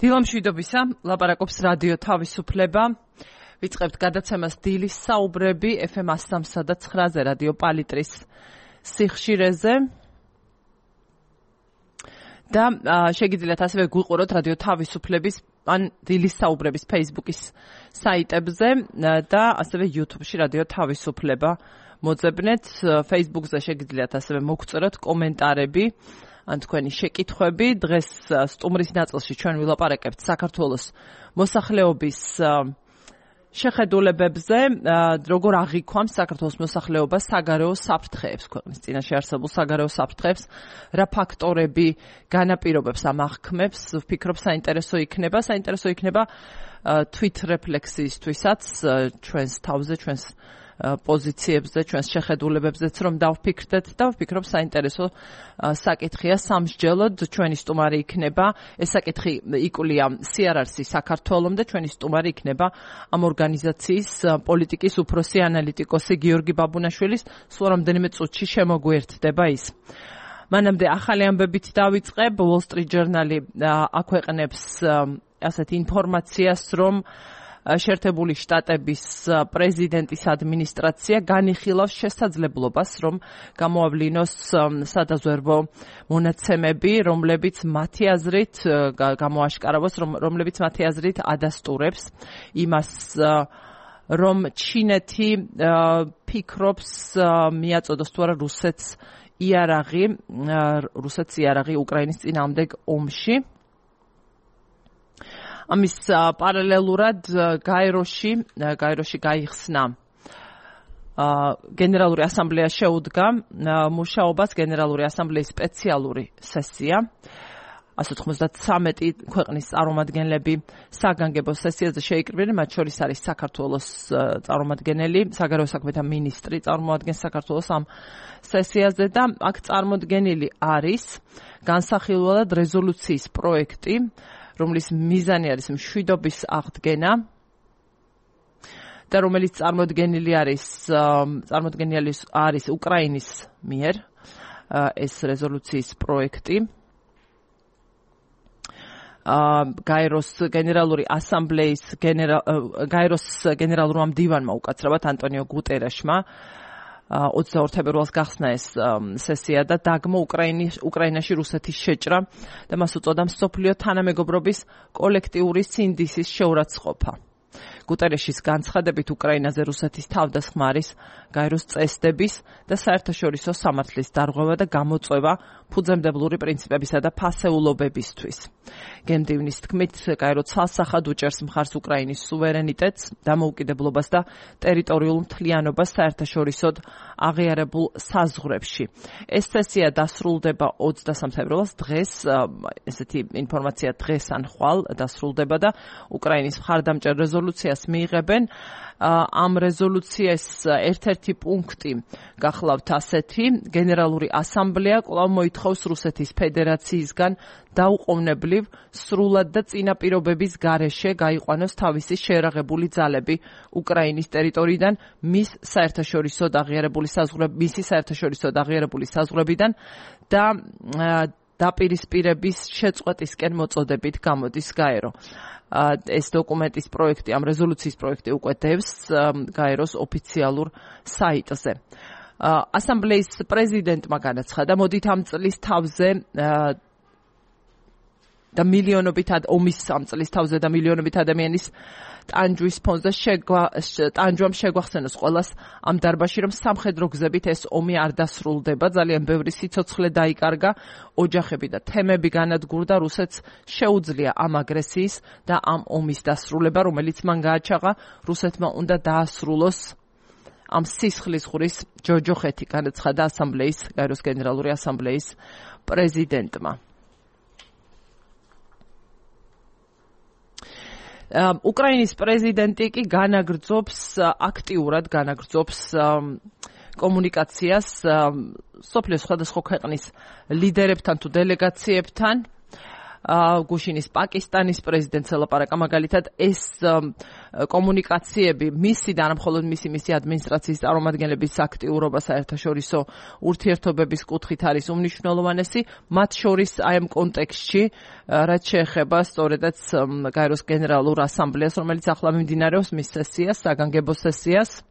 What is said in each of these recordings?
დილამშვიდობისა, ლაპარაკობს რადიო თავისუფლება. ვიწყებთ გადაცემას დილის საუბრები FM 103.9-ზე რადიო პალიტრის სიხშირეზე. და შეგიძლიათ ასევე გვიყუროთ რადიო თავისუფლების ან დილის საუბრების Facebook-ის საიტებზე და ასევე YouTube-ში რადიო თავისუფლება მოძებნეთ. Facebook-ზე შეგიძლიათ ასევე მოგწეროთ კომენტარები ან თქვენი შეკითხვები. დღეს სტუმრის ნაწილში ჩვენ ვილაპარაკებთ საქართველოს მოსახლეობის შეხედულებებზე, როგორ აღიქვამს საქართველოს მოსახლეობა საგარეო საფრთხეებს, ქვეყნის წინაშე არსებულ საგარეო საფრთხეებს, რა ფაქტორები განაპირობებს ამ აღქმებს, ვფიქრობ საინტერესო იქნება თვით რეფლექსიისთვისაც ჩვენს თავზე, ჩვენს პოზიციებზე, ჩვენს შეხედულებებზეც რომ დავფიქრდეთ და ვფიქრობ საინტერესო საკითხია სამსჯელოდ ჩვენი სტუმარი იქნება. ეს საკითხი იკვლია CRRC საქართველოს და ჩვენი სტუმარი იქნება ამ ორგანიზაციის პოლიტიკის უფროსი ანალიტიკოსი გიორგი ბაბუნაშვილის. სულ რამდენიმე წუთში შემოგვიერთდება ის. მანამდე ახალი ამბებით დავიწყებ. Wall Street Journal-ი აქვეყნებს ასეთ ინფორმაციას, რომ შეერთებული შტატების პრეზიდენტის ადმინისტრაცია განიხილავს შესაძლებლობას, რომ გამოავლინოს სადაზვერვო მონაცემები, რომლებიც მათი აზრით გამოაშკარავოს, რომლებიც მათი აზრით ადასტურებს იმას, რომ ჩინეთი ფიქრობს მიაწოდოს თუ არა რუსეთს იარაღი უკრაინის წინააღმდეგ ომში. ამის პარალელურად გაეროში გაიხსნა გენერალური ასამბლეა შეუდგა მუშაობას გენერალური ასამბლეის სპეციალური სესია. 193 ქვეყნის წარმომადგენლები საგანგებო სესიაზე შეიკრიბნენ, მათ შორის არის საქართველოს წარმომადგენელი, საგარეო საქმეთა მინისტრი წარმოადგენს საქართველოს ამ სესიაზე და აქ წარმოდგენილი არის განსახილველად რეზოლუციის პროექტი, რომლის მიზანი არის მშვიდობის აღდგენა და რომელიც წარმოდგენილი არის უკრაინის მიერ ეს რეზოლუციის პროექტი. გაეროს გენერალური ასამბლეის გაეროს გენერალურმა მდივანმა უკაცრავად ანტონიო გუტერეშმა 22 თებერვალს გახსნა ეს სესია და დაგმო უკრაინაში რუსეთის შეჭრა და მას უწოდა მსოფლიო თანამეგობრობის კოლექტიური სინდისის შეურაცხყოფა. გუტერეშის განცხადებით უკრაინაზე რუსეთის თავდასხმა არის გაეროს წესდების და საერთაშორისო სამართლის დარღვევა და გამოწვევა ფუძემდებლური პრინციპებისა და ფასეულობებისთვის. გემდივნის თქმით, გაერო ცალსახად უჭერს მხარს უკრაინის სუვერენიტეტს, დამოუკიდებლობას და ტერიტორიულ მთლიანობას საერთაშორისოდ აღიარებულ საზღვრებში. ეს სესია დასრულდება 23 თებერვალს დღეს, ესეთი ინფორმაცია დღეს ან ხვალ დასრულდება და უკრაინის მხარდამჭერ რეზოლუციას მიიღებენ. ამ რეზოლუციის ერთ-ერთი პუნქტი გახლავთ ასეთი: გენერალური ასამბლეა კვლავ მოითხოვს რუსეთის ფედერაციისგან დაუყოვნებლივ, სრულად და წინაპირობების გარეშე გაიყვანოს თავისი შეერაღებული ძალები უკრაინის ტერიტორიიდან მისი საერთაშორისო აღიარებული საზღვრებიდან და დაპირისპირების შეწყვეტისკენ მოწოდებით გამოდის გაერო. ეს დოკუმენტის პროექტი, ამ რეზოლუციის პროექტი უკვე დევს გაეროს ოფიციალურ საიტზე. ასამბლეის პრეზიდენტმა განაცხადა, მოდით ამ წლის თავზე და მილიონობით ადამიანის ტანჯვის ფონზე ტანჯვამ შეგვახსენოს ყველას ამ დარბაზში, რომ სამხედრო გზებით ეს ომი არ დასრულდება. ძალიან ბევრი სიცოცხლე დაიკარგა, ოჯახები და თემები განადგურდა. რუსეთს შეუძლია ამ აგრესიის და ამ ომის დასრულება, რომელიც მან გააჩაღა. რუსეთმა უნდა დაასრულოს ამ სისხლისღვრის ჯოჯოხეთი, განაცხადა გაეროს გენერალური ასამბლეის პრეზიდენტმა. უკრაინის პრეზიდენტი კი აქტიურად განაგრძობს კომუნიკაციას სოფლიოს სხვადასხვა ქვეყნის ლიდერებთან თუ დელეგაციებთან. გუშინის პაკისტანის პრეზიდენტს ელაპარაკა მაგალითად ეს კომუნიკაციები მისი და არა მხოლოდ მისი ადმინისტრაციის წარმომადგენლების აქტიურობა საერთაშორისო ურთიერთობების კუთხით არის უმნიშვნელოვანესი, მათ შორის აი ამ კონტექსტში რაც შეეხება სწორედაც გაეროს გენერალურ ასამბლეას, რომელიც ახლა მიმდინარეობს მის სესიას, საგანგებო სესიას.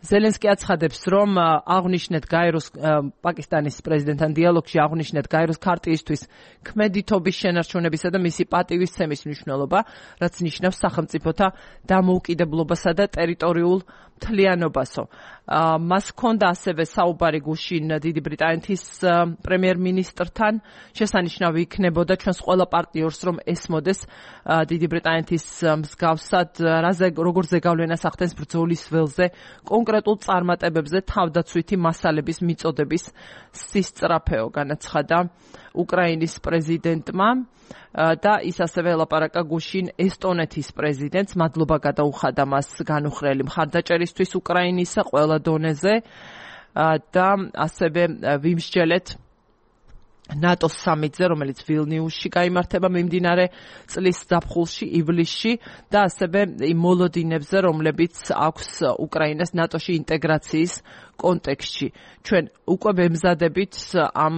ზელენსკი აცხადებს, რომ აღნიშნეთ გაეროს პაკისტანის პრეზიდენტთან დიალოგში აღნიშნეთ გაეროს ქარტიისთვის ქმედითობის შენარჩუნებისა და მისი პატივისცემის მნიშვნელობა, რაც ნიშნავს სახელმწიფოთა დამოუკიდებლობასა და ტერიტორიულ მთლიანობასო. მას ჰქონდა ასევე საუბარი გუშინ დიდი ბრიტანეთის პრემიერ-მინისტრთან, შესანიშნავი იქნებოდა ჩვენს ყველა პარტნიორს, რომ ესმოდეს დიდი ბრიტანეთის მსგავსად, როგორ ზეგავლენას ახდენს ბრძოლის ველზე, კონკრეტულ წარმატებებზე თავდაცვითი მასალების მიწოდების სისწრაფეო, განაცხადა უკრაინის პრეზიდენტმა და ის ასევე ელაპარაკა გუშინ ესტონეთის პრეზიდენტს, მადლობა გადაუხადა მას განუხრელი მხარდაჭერისთვის უკრაინისა ყველა დონეზე და ასევე ვიმსჯელეთ ნატოს სამიტზე, რომელიც ვილნიუსში გაიმართება მიმდინარე წლის ზაფხულში, ივლისში და ასევე იმ მოლოდინებზე, რომლებიც აქვს უკრაინას ნატოში ინტეგრაციის კონტექსტში. ჩვენ უკვე ვემზადებით ამ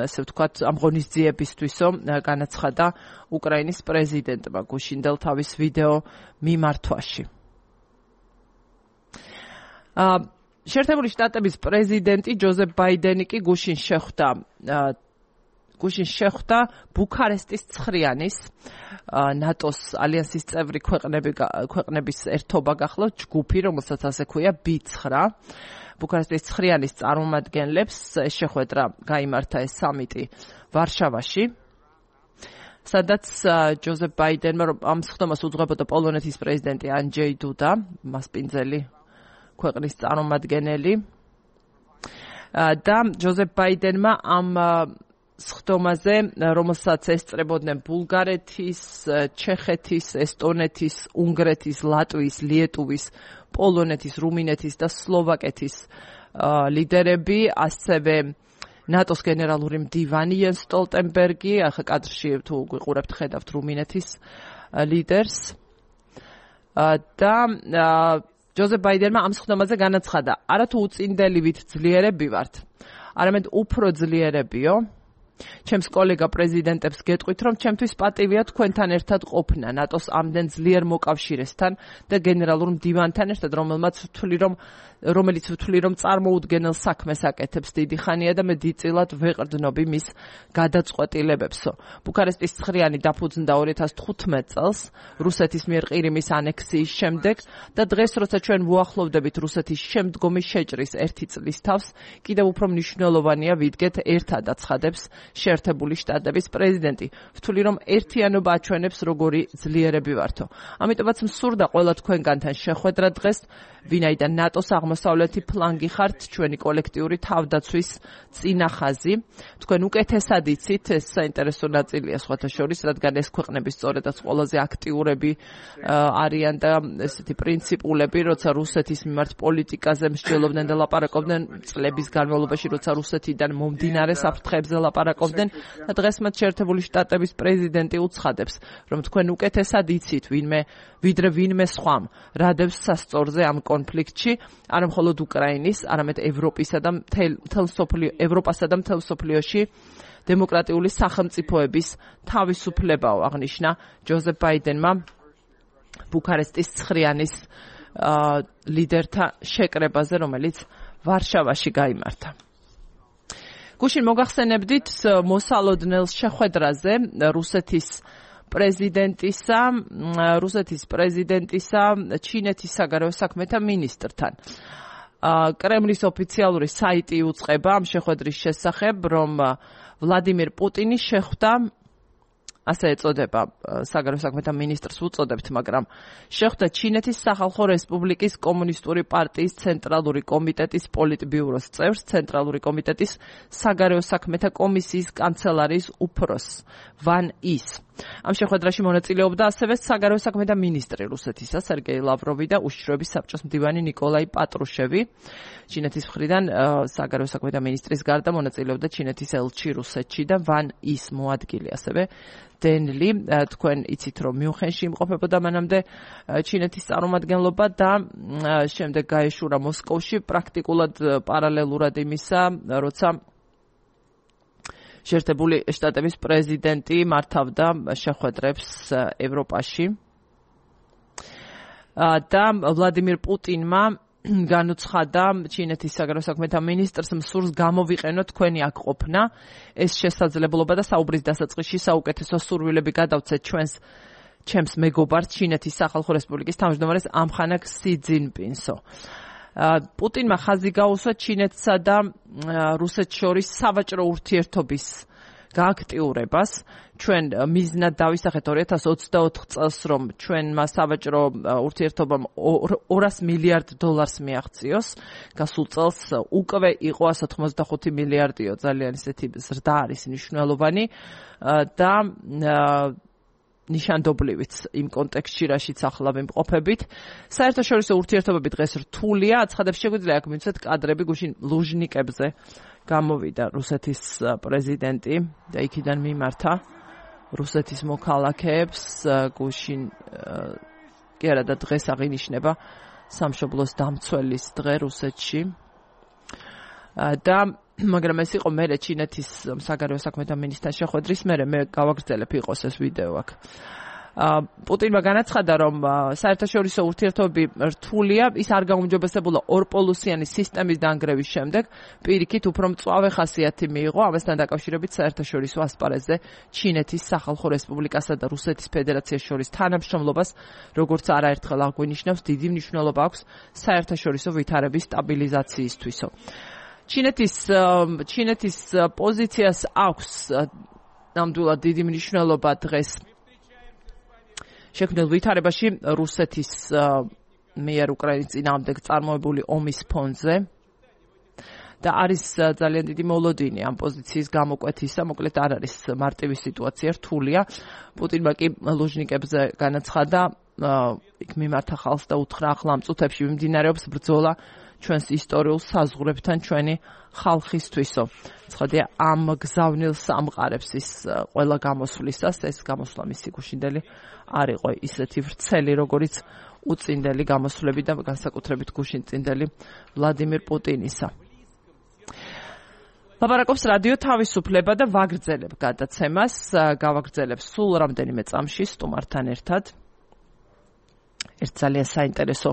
ასე ვთქვათ, ამ ღონისძიებისთვისო, განაცხადა უკრაინის პრეზიდენტმა გუშინდელ თავის ვიდეო მიმართვაში. შეერთებული შტატების პრეზიდენტი ჯოზეფ ბაიდენი კი გუშინ შეხვდა ბუქარესტის 9-იანის ნატოს ალიანსის წევრი ქვეყნების ერთობა გახლავთ ჯგუფი, რომელსაც ასე ქვია B9. ბუქარესტის 9-იანის წარმომადგენლებს შეხვედრა გაიმართა ეს სამიტი ვარშავაში, სადაც ჯოზეფ ბაიდენმა ამ სხდომას უძღვებოდა პოლონეთის პრეზიდენტი ანჯეი დუდა, მასპინძელი ქვეყნის წარმომადგენელი და ჯოზეფ ბაიდენმა ამ სხდომაზე, რომელსაც ესწრებოდნენ ბულგარეთის, ჩეხეთის, ესტონეთის, უნგრეთის, ლატვიის, ლიეტუვის, პოლონეთის, რუმინეთის და სლოვაკეთის ლიდერები, ასევე ნატოს გენერალური მდივანი იენს სტოლტენბერგი, ახლა კადრში თუ გვიყურებთ, ხედავთ რუმინეთის ლიდერს და ჯოზეფ ბაიდენმა ამ სხდომაზე განაცხადა, არათუ უწინდელივით ძლიერები ვართ, არამედ უფრო ძლიერებიო. ჩემს კოლეგა პრეზიდენტებს გეტყვით, რომ ჩემთვის პატივია თქვენთან ერთად ყოფნა ნატოს ამდენ ძლიერ მოკავშირესთან და გენერალურ მდივანთან ერთად, რომელიც ვთვლი, რომ წარმოუდგენელ საქმეს აკეთებს დიდი ხანია და მე დიდწილად ვეყრდნობი მის გადაწყვეტილებებსო. ბუქარესტის 9-იანი დაფუძნდა 2015 წელს რუსეთის მიერ ყირიმის ანექსიის შემდეგ და დღეს, როცა ჩვენ ვუახლოვდებით რუსეთის შემდგომი შეჭრის 1 წლის თავს, კიდევ უფრო მნიშვნელოვანია ვიდგეთ ერთად, აცხადებს შეერთებული შტატების პრეზიდენტი. ვთვლი, რომ ერთიანობა აჩვენებს, როგორი ძლიერები ვართო. ამიტომაც მსურდა ყველა თქვენგანთან შეხვედრა დღეს, ვინაიდან ნატოს აღმოსავლეთი ფლანგი ხართ, ჩვენი კოლექტიური თავდაცვის წინახაზი. თქვენ უკეთესად იცით, ეს საინტერესო ნაწილია სხვათა შორის, რადგან ეს ქვეყნები სწორედაც ყველაზე აქტიურები არიან და ესეთი პრინციპულები, როცა რუსეთის მიმართ პოლიტიკაზე მსჯელობდნენ და ლაპარაკობდნენ წლების განმავლობაში, როცა რუსეთიდან მომდინარე საფრთხეებზე ლაპარაკობდნენ და დღეს მათ შეერთებული შტატების პრეზიდენტი უცხადებს, რომ თქვენ უკეთესად იცით, ვიდრე ვინმე სხვამ რადებს სასწორზე ამ კონფლიქტში, არა მხოლოდ უკრაინის, არამედ ევროპასა და მთელ მსოფლიოში დემოკრატიული სახელმწიფოების თავისუფლებაო, აღნიშნა ჯოზეფ ბაიდენმა ბუქარესტის 9-იანის ლიდერთა შეკრებაზე, რომელიც ვარშავაში გაიმართა. გუშინ მოგახსენებდით მოსალოდნელ შეხვედრაზე რუსეთის პრეზიდენტისა ჩინეთის საგარეო საქმეთა მინისტრთან. კრემლის ოფიციალური საიტი უწყება ამ შეხვედრის შესახებ, რომ ვლადიმირ პუტინი შეხვდა, ასე ეწოდება საგარეო საქმეთა მინისტრს უწოდებთ, მაგრამ შეხვდა ჩინეთის სახალხო რესპუბლიკის კომუნისტური პარტიის ცენტრალური კომიტეტის პოლიტბიუროს წევრს, ცენტრალური კომიტეტის საგარეო საქმეთა კომისიის კანცელარიის უფროსს ვან ის. ამ შეხვედრაში მონაწილეობდა ასევე საგარეო საქმეთა მინისტრი რუსეთისა სერგეი ლავროვი და უშიშროების საბჭოს მდივანი ნიკოლაი პატრუშევი. ჩინეთის მხრიდან საგარეო საქმეთა მინისტრის გარდა მონაწილეობდა ჩინეთის ელჩი რუსეთში და ვან ის მოადგილე ასევე დენლი. თქვენ იცით რომ მიუნხენში იმყოფებოდა მანამდე ჩინეთის წარმომადგენლობა და შემდეგ გაეშურა მოსკოვში პრაქტიკულად პარალელურად იმისა, როცა შეერთებული შტატების პრეზიდენტი მართავდა შეხვედრებს ევროპაში და ვლადიმირ პუტინმა განუცხადა ჩინეთის საგარეო საქმეთა მინისტრს მსურს გამოვიყენოთ თქვენი აქ ყოფნა ეს შესაძლებლობა და საუბრის დასაწყისში საუკეთესო სურვილები გადავცეთ ჩემს მეგობარს ჩინეთის სახალხო რესპუბლიკის თავმჯდომარეს ამხანაგ სი ძინპინსო. პუტინმა ხაზი გაუსვა ჩინეთსა და რუსეთს შორის სავაჭრო ურთიერთობის გააქტიურებას. ჩვენ მიზნად დავისახეთ 2024 წელს, რომ ჩვენმა სავაჭრო ურთიერთობამ $200 მილიარდ მიაღწიოს. გასულ წელს უკვე იყო 185 მილიარდიო, ძალიან ისეთი ზრდა არის მნიშვნელოვანი და ნიშანდობლივიც იმ კონტექსტში, რაშიც ახლა ვიმყოფებით. საერთაშორისო ურთიერთობები დღეს რთულია, აცხადებს შეგვიძლია აქ მივცეთ კადრები გუშინ ლუჟნიკებზე გამოვიდა რუსეთის პრეზიდენტი და იქიდან მიმართა რუსეთის მოქალაქეებს გუშინ კი არა და დღეს აღინიშნება სამშობლოს დამცველის დღე რუსეთში და მაგრამ ეს იყო მერე ჩინეთის საგარეო საქმეთა მინისტრთან შეხვედრის მერე მე გავაგრძელებ იყოს ეს ვიდეო აქ. პუტინმა განაცხადა, რომ საერთაშორისო ურთიერთობები რთულია, ის არ გაუმჯობესებულა ორპოლუსიანი სისტემის დანგრევის შემდეგ, პირიქით უფრო მწვავე ხასიათი მიიღო, ამასთან დაკავშირებით საერთაშორისო ასპარეზზე ჩინეთის სახალხო რესპუბლიკასა და რუსეთის ფედერაციას შორის თანამშრომლობას, როგორც არაერთხელ აღვინიშნავს, დიდი მნიშვნელობა აქვს საერთაშორისო ვითარების სტაბილიზაციისთვისო. ჩინეთის პოზიციას აქვს ნამდვილად დიდი მნიშვნელობა დღეს შექმნილ ვითარებაში რუსეთის მიერ უკრაინის წინააღმდეგ წარმოებული ომის ფონზე და არის ძალიან დიდი მოლოდინი ამ პოზიციის გამოკვეთისა, მოკლედ არ არის მარტივი სიტუაცია, რთულია. პუტინმა კი ლუჟნიკებზე განაცხადა, იქ მიმართა ხალხს და უთხრა, ახლა ამ წუთებში მიმდინარეობს ბრძოლა ჩვენს ისტორიულ საზღვრებთან ჩვენი ხალხისთვისო. ცხადია ამ გზავნილს ამყარებს ის ყველა გამოსვლისას, ეს გამოსვლა მისი გუშინდელი არ იყო ისეთი ვრცელი, როგორც უწინდელი გამოსვლები და განსაკუთრებით გუშინწინდელი ვლადიმირ პუტინისა. ლაპარაკობს რადიო თავისუფლება და ვაგრძელებ გადაცემას, გავაგრძელებ სულ რამდენიმე წამში სტუმართან ერთად. ერთ ძალიან საინტერესო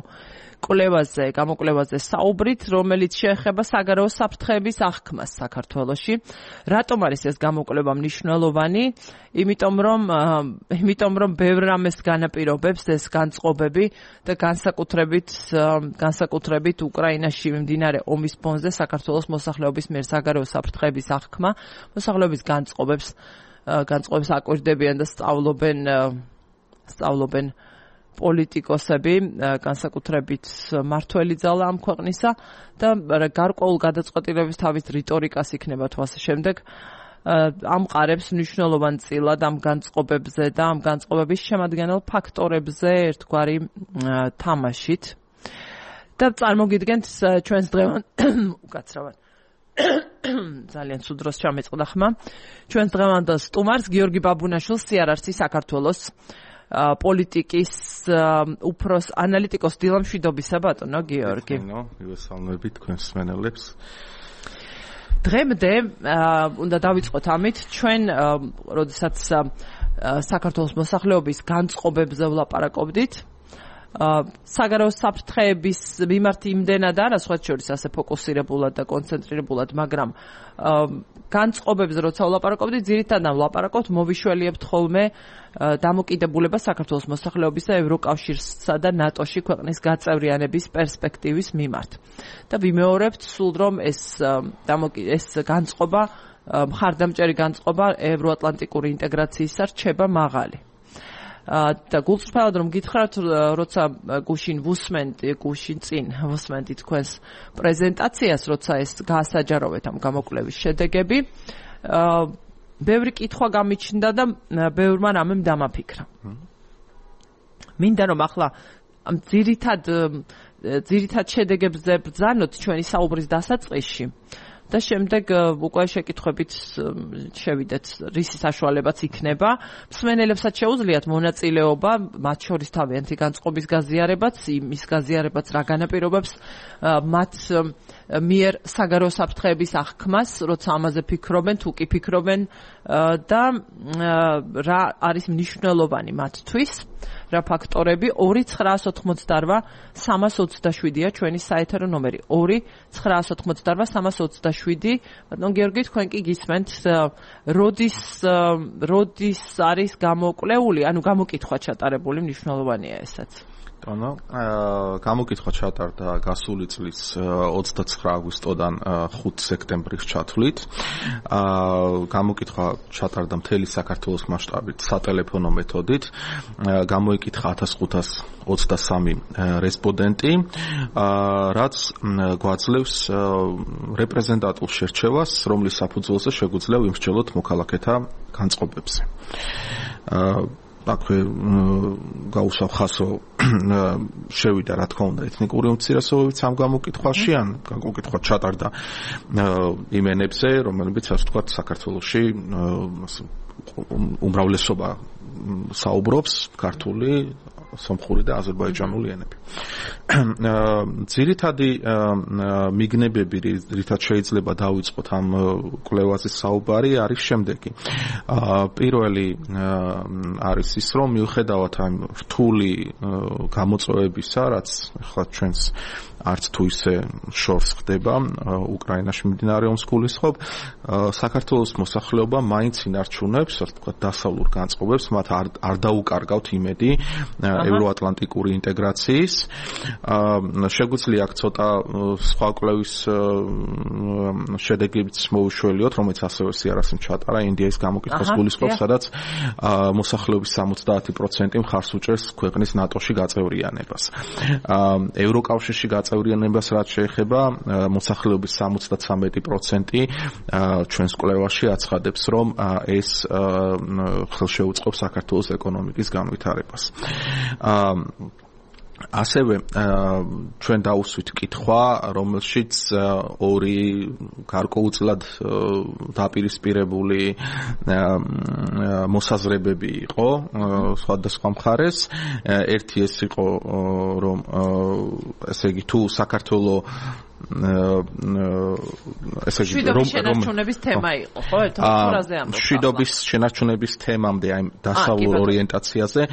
გამოკვლევაზე საუბრით, რომელიც შეეხება საგარეო საფრთხეების აღქმას საქართველოში. რატომ არის ეს გამოკვლევა მნიშვნელოვანი? იმიტომ რომ ბევრ რამეს განაპირობებს ეს განწყობები და განსაკუთრებით უკრაინაში მიმდინარე ომის ფონზე საქართველოს მოსახლეობის მიერ საგარეო საფრთხეების აღქმა, მოსახლეობის განწყობებს აკვირდებიან და სწავლობენ პოლიტიკოსები, განსაკუთრებით მართველი ძალა ამ ქვეყნისა და გარკვეულ გადაწყვეტილების თავის რიტორიკას იქნება თვალსა შემდეგ ამყარებს მნიშვნელოვან წილად ამ განწყობებზე და ამ განწყობების შემადგენელ ფაქტორებზე ერთგვარი თამაშით. და წარმოგიდგენთ ჩვენს დღევანდელ უკაცრავად ძალიან ცუდ დროს ჩამეწყდა ხმა. ჩვენს დღევანდელ სტუმარს გიორგი ბაბუნაშვილს CRRC საქართველოს პოლიტიკის უფროს ანალიტიკოს დილამშვიდობისა ბატონო გიორგი. მივესალმები თქვენს მსმენელებს. დღემდე უნდა დავიწყოთ ამით ჩვენ როდესაც საქართველოს მოსახლეობის განწყობებზე ვლაპარაკობდით საგარეო საფრთხეების მიმართ იმდენად არა სხვა შორის ასე ფოკუსირებულად და კონცენტრირებულად, მაგრამ განწყობებზე როცა ვლაპარაკობდით, ძირითადად ვლაპარაკობთ მოვიშველიებთ ხოლმე დამოკიდებულება საქართველოს მოსახლეობის და ევროკავშირსა და ნატოში ქვეყნის გაწევრიანების პერსპექტივის მიმართ. და ვიმეორებთ სულ რომ ეს განწყობა, მხარდამჭერი განწყობა ევროატლანტიკური ინტეგრაციისა რჩება მაღალი. და გულწრფელად რომ გითხრათ, როცა გუშინ ვუსმენდი თქვენს პრეზენტაციას, როცა ეს გაასაჯაროვეთ ამ გამოკვლევის შედეგები, ბევრი კითხვა გამიჩნდა და ბევრმა რამემ დამაფიქრა. მინდა რომ ახლა ამ ძირითად შედეგებზე ბრძანოთ ჩვენი საუბრის დასაწყისში და შემდეგ უკვე შეკითხვებით შევიდეთ რისი საშუალებაც იქნება. მსმენელებსაც შეუძლიათ მონაწილეობა, მათ შორის თავიანთი განწყობის გაზიარებაც, იმის გაზიარებაც რა განაპირობებს მათ მიერ საგარეო საფრთხეების აღქმას, როცა ამაზე ფიქრობენ, თუ კი ფიქრობენ და რა არის მნიშვნელოვანი მათთვის. რა ფაქტორები 2-988-327-ია ჩვენი საეთერო ნომერი 2-988-327. ბატონ გიორგი, თქვენ კი გისმენთ როდის არის გამოკვლეული, ანუ გამოკითხვა ჩატარებული, მნიშვნელოვანია ესაც. ანუ გამოკითხვა ჩატარდა გასული წლის 29 აგვისტოდან 5 სექტემბრის ჩათვლით. გამოკითხვა ჩატარდა მთელი საქართველოს მასშტაბით სატელეფონო მეთოდით. გამოიკითხა 1523 რესპონდენტი, რაც გვაძლევს რეპრეზენტატულ შერჩევას, რომლის საფუძველზე შეგვიძლია ვიმსჯელოთ მოქალაქეთა განწყობებზე. აქვე გაუსვავ ხასო შევიდა რა თქმა უნდა ეთნიკური უმცირესობებიც ამ გამოკითხვაში ან გამოკითხვა ჩატარდა იმენებზე რომელებიც ასე ვთქვათ საქართველოში უმრავლესობა საუბრობს ქართული სომხური და აზერბაიჯანული ენები. ძირითადი მიგნებები, რითაც შეიძლება დავიწყოთ ამ კვლევაზე საუბარი, არის შემდეგი. პირველი არის ის, რომ მიუხედავად ამ რთული გამოწვევებისა, რაც ახლა ჩვენს არც თუ ისე შორს ხდება უკრაინაში მიმდინარე ომის გულისხმობ, საქართველოს მოსახლეობა მაინც ინარჩუნებს, ასე ვთქვათ, დასავლურ განწყობებს, მათ არ დაუკარგავთ იმედი ევროატლანტიკური ინტეგრაციის. შეგვიძლია აქ ცოტა სხვა კვლევის შედეგებიც მოუშველიოთ, რომელიც ასევე სიარასიმ ჩატარა ინდიის გამოკითხვის გულისხმობს, სადაც მოსახლეობის 70% მხარს უჭერს ქვეყნის ნატოში გაწევრიანებას. ევროკავშირში გაწევრიანებას რაც შეეხება, მოსახლეობის 73% ჩვენს კვლევაში აცხადებს, რომ ეს ხელშეუწყობს საქართველოს ეკონომიკის განვითარებას. ასევე ჩვენ დავუსვით კითხვა, რომელშიც ორი გარკვეულწილად დაპირისპირებული მოსაზრებები იყო სხვადასხვა მხარეს. ერთი ეს იყო, რომ ესე იგი თუ საქართველო შვიდობის შენარჩუნების თემა იყო, ხო? ერთმანეთზე ამბობ. შვიდობის შენარჩუნების თემამდე, აი დასავლურ ორიენტაციაზე,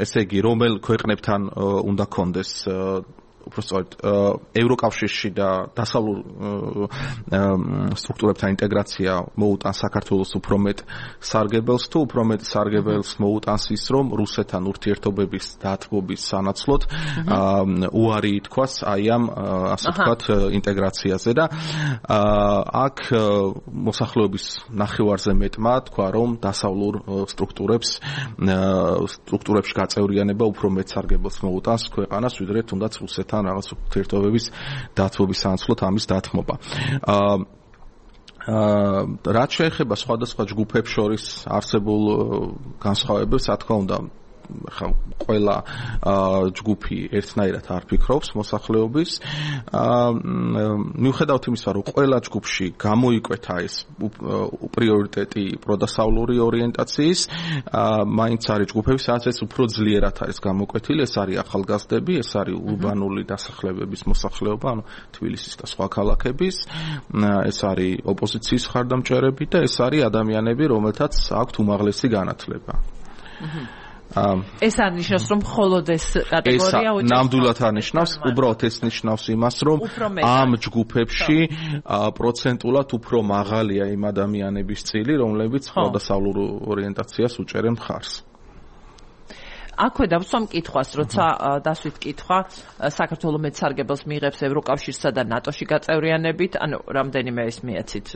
ესე იგი, რომელ ქვეყნებთან უნდა კონდეს უბრალოდ ევროკავშირში და დასავლურ სტრუქტურებთან ინტეგრაცია მოუტანს საქართველოს უფრო მეტ სარგებელს თუ უფრო მეტ სარგებელს მოუტანს ის, რომ რუსეთთან ურთიერთობების დათბობის სანაცვლოდ უარი ითქვას აი ამ ასე ვთქვათ ინტეგრაციაზე და აქ მოსახლეობის ნახევარზე მეტმა თქვა, რომ დასავლურ სტრუქტურებში გაწევრიანება უფრო მეტ სარგებელს მოუტანს ქვეყანას, ვიდრე თუნდაც რუსეთთან რაღაც ურთიერთობების დათბობის სანაცვლოდ ამის დათმობა. რაც შეეხება სხვადასხვა ჯგუფებს შორის არსებულ განსხვავებებს, რა თქმა უნდა, ყველა ჯგუფი ერთნაირად არ ფიქრობს მოსახლეობის. მიუხედავად იმისა, რომ ყველა ჯგუფში გამოიკვეთა ეს პრიორიტეტი პროდასავლური ორიენტაციის, მაინც არის ჯგუფები, სადაც ეს უფრო ძლიერად არის გამოკვეთილი. ეს არის ახალგაზრდები, ეს არის ურბანული დასახლებების მოსახლეობა, ანუ თბილისის და სხვა ქალაქების, ეს არის ოპოზიციის მხარდამჭერები და ეს არის ადამიანები, რომელთაც აქვთ უმაღლესი განათლება. ეს არ ნიშნავს, რომ მხოლოდ ეს კატეგორია უჭერს. ნამდვილად არ ნიშნავს, უბრალოდ ეს ნიშნავს იმას, რომ ამ ჯგუფებში პროცენტულად უფრო მაღალია იმ ადამიანების წილი, რომლებიც პროდასავლურ ორიენტაციას უჭერენ მხარს. აქვე დავსვამ კითხვას, როცა დასვით კითხვა საქართველოს მეცარგებელს მიიღებს ევროკავშირსა და ნატოში გაწევრიანებით, ანუ რამდენიმე ეს მიეცით,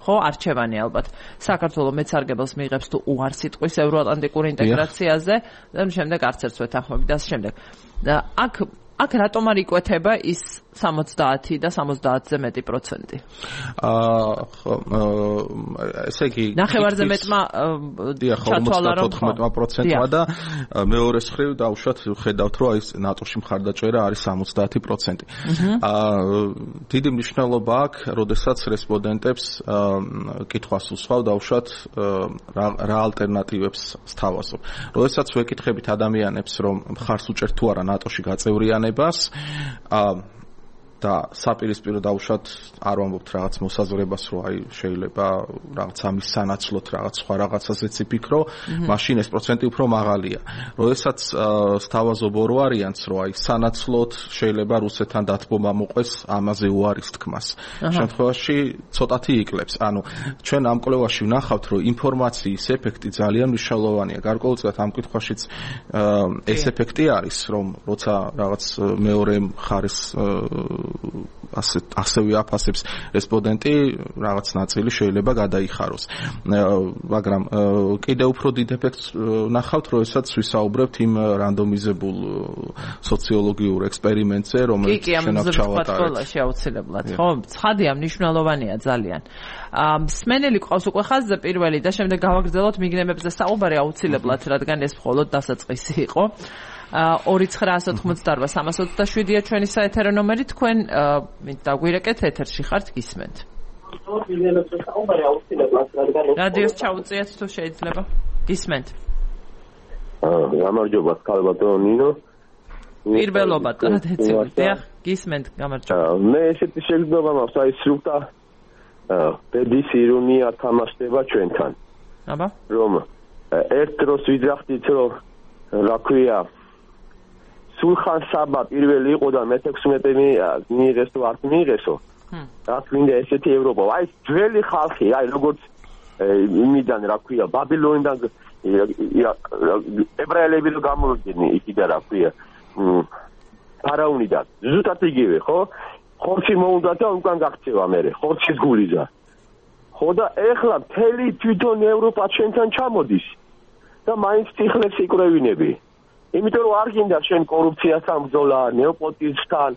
ხო, არჩევანი ალბათ. საქართველოს მეცარგებელს მიიღებს თუ უარს იტყვის ევროატლანტიკურ ინტეგრაციაზე, და შემდეგ არც ერთს ვეთანხმები და ამ შემდეგ. აქ რატომ არ იკვეთება ის 70 და 70-ზე მეტი პროცენტი. ესე იგი ნახევარზე მეტმა ჩათვალა რომ 94%-მა და მეორე მხრივ დავუშვათ ხედავთ რომ აი ნატოში მხარდაჭერა არის 70%. დიდი მნიშვნელობა აქვს, როდესაც რესპონდენტებს კითხვას უსვავ დავუშვათ რა ალტერნატივებს სთავაზობ. როდესაც ვეკითხებით ადამიანებს რომ მხარს უჭერთ თუ არა ნატოში გაწევრიანებას და საპირისპირო დავუშვათ არ ვამბობთ რაღაც მოსაზრებას რომ აი შეიძლება რაღაც ამის სანაცვლოდ რაღაც სხვა რაღაცაზეც იფიქრო, მაშინ ეს პროცენტი უფრო მაღალია. როდესაც სთავაზობ ორ ვარიანტს რომ აი სანაცვლოდ შეიძლება რუსეთთან დათბომა მოყვეს ამაზე უარის თქმას. შემთხვევაში ცოტათი იკლებს. ანუ ჩვენ ამ კვლევაში ვნახავთ რომ ინფორმაციის ეფექტი ძალიან მნიშვნელოვანია. გარკვეულწილად ამ კითხვაშიც ეს ეფექტი არის რომ როცა რაღაც მეორე მხარეს ასევე აფასებს რესპონდენტი რაღაც ნაწილი შეიძლება გადაიხაროს. მაგრამ კიდევ უფრო დიდ ეფექტს ნახავთ, როდესაც ვისაუბრებთ იმ რანდომიზებულ სოციოლოგიურ ექსპერიმენტზე, რომელიც შენახ ჩავატარეთ. სკოლაში აუცილებლად, ხო? ცხადია, მნიშვნელოვანია ძალიან. მსმენელი ყავს უკვე ხაზზე პირველი და შემდეგ გავაგრძელოთ მიგრემებზე საუბარი აუცილებლად, რადგან ეს მხოლოდ დასაწყისი იყო. 2988327-ია ჩვენი საეთერო ნომერი, თქვენ დაგვირეკეთ ეთერში ხართ, გისმენთ. რადიოს ჩაუწიეთ თუ შეიძლება. გისმენთ. გამარჯობა, ქალბატონო ნინო. პირველობა ტრადიციულად, დიახ, გისმენთ, გამარჯობა. მე ესეთი შეგრძნება მაქვს, აი სრულთა ბედის ირონია თამაშდება ჩვენთან. აბა? რომ ერთ დროს ვიძახდით, რომ რა ქვია სულხან საბა პირველი იყო და მე-16 მიიღესო არ მიიღესო. რა გვინდა ესეთი ევროპა. აი ძველი ხალხი, აი როგორც იმიდან რა ქვია ბაბილონიდან ებრაელები რო გამოვიდნენ იქიდან რა ქვია ფარაონიდან. ზუსტად იგივე, ხო? ხორცი მოუნდა და უკან გაქცევა მე, ხორცის გულიზა. ხო და ეხლა მთელი თვითონ ევროპა ჩვენთან ჩამოდის და მაინც თიხლებს იკრევინები. იმიტომ რომ არ გინდა შენ კორუფციასთან ბრძოლა, ნეოპოტიზმთან,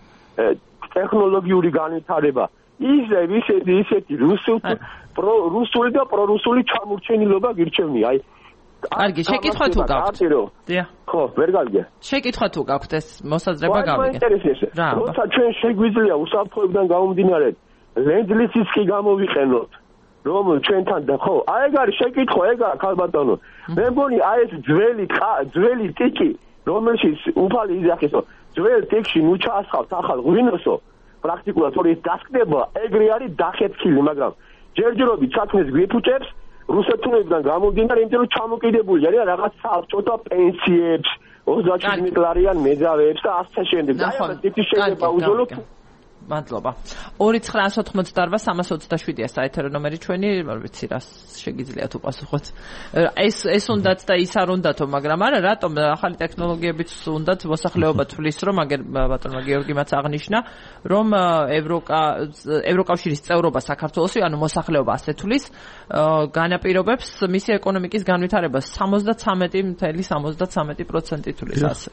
ტექნოლოგიური განვითარება. ისეთი რუსული და პრორუსული ჩამორჩენილობა გირჩევნია. აი კარგი, შეკითხვა თუ გაქვთ? დიახ. ხო, ვერ გავიგე. შეკითხვა თუ გაქვთ ეს მოსაზრება გავიგე. რა? როცა ჩვენ შეგვიძლია უსაფრთხოებიდან გამომდინარე ლენდლისის კი გამოვიყენოთ. რომ ჩვენთან და ხო, აი ეგ არის შეკითხვა, ეგ არის ქალბატონო. მე მგონი აი ეს ძველი ტიკი, რომელშიც უფალი იძახისო, ძველ ტიკში ნუ ჩაასხავთ ახალ ღვინოსო, პრაქტიკულად თორე ეს დასკდება, ეგრე არის დახეთქილი, მაგრამ ჯერჯერობით საქმეს გვიფუჭებს რუსეთუნებიდან გამომდინარე, იმიტომ რომ ჩამოკიდებული არის რაღაც საბჭოთა პენსიებს, 37 ლარიან მეძავებს და ასე შემდეგ. და ეს ტიკი შეიძლება უძოლოთ. მადლობა. 2988327-ია საეთერო ნომერი ჩვენი, არ ვიცი რა შეგიძლიათ უპასუხოთ. ეს უნდათ და ის არ უნდათო, მაგრამ არა, რატომ ახალი ტექნოლოგიებიც უნდათ მოსახლეობა თვლის, რომ აგერ ბატონმა გიორგიმაც აღნიშნა, რომ ევროკავშირის წევრობა საქართველოსი, ანუ მოსახლეობა ასე თვლის, განაპირობებს მისი ეკონომიკის განვითარებას 73.73% თვლის ასე.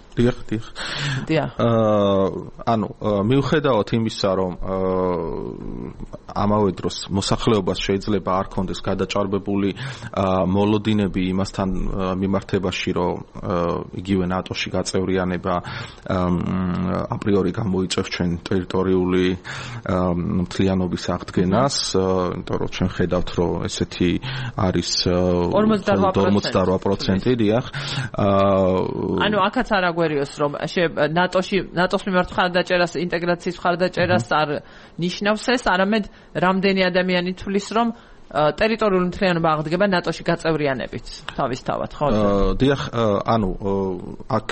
დიახ. ანუ მიუხედავად იმისა, რომ ამავე დროს მოსახლეობას შეიძლება არ კონდეს გადაჭარბებული მოლოდინები იმასთან მიმართებაში, რომ იგივე ნატოში გაწევრიანება აპრიორი გამოიწევს ჩვენ ტერიტორიული მთლიანობის აღდგენას, იმიტომ რომ ჩვენ ხედავთ, რომ ესეთი არის 48%, დიახ. ანუ აქაც არ აგვერიოს, რომ ნატოს მიმართ მხარდაჭერას, ინტეგრაციის მხარდაჭერას არ ნიშნავს ეს, არამედ რამდენი ადამიანი თვლის, რომ ტერიტორიული მთლიანობა აღდგება ნატოში გაწევრიანებით თავისთავად, ხო? დიახ, ანუ აქ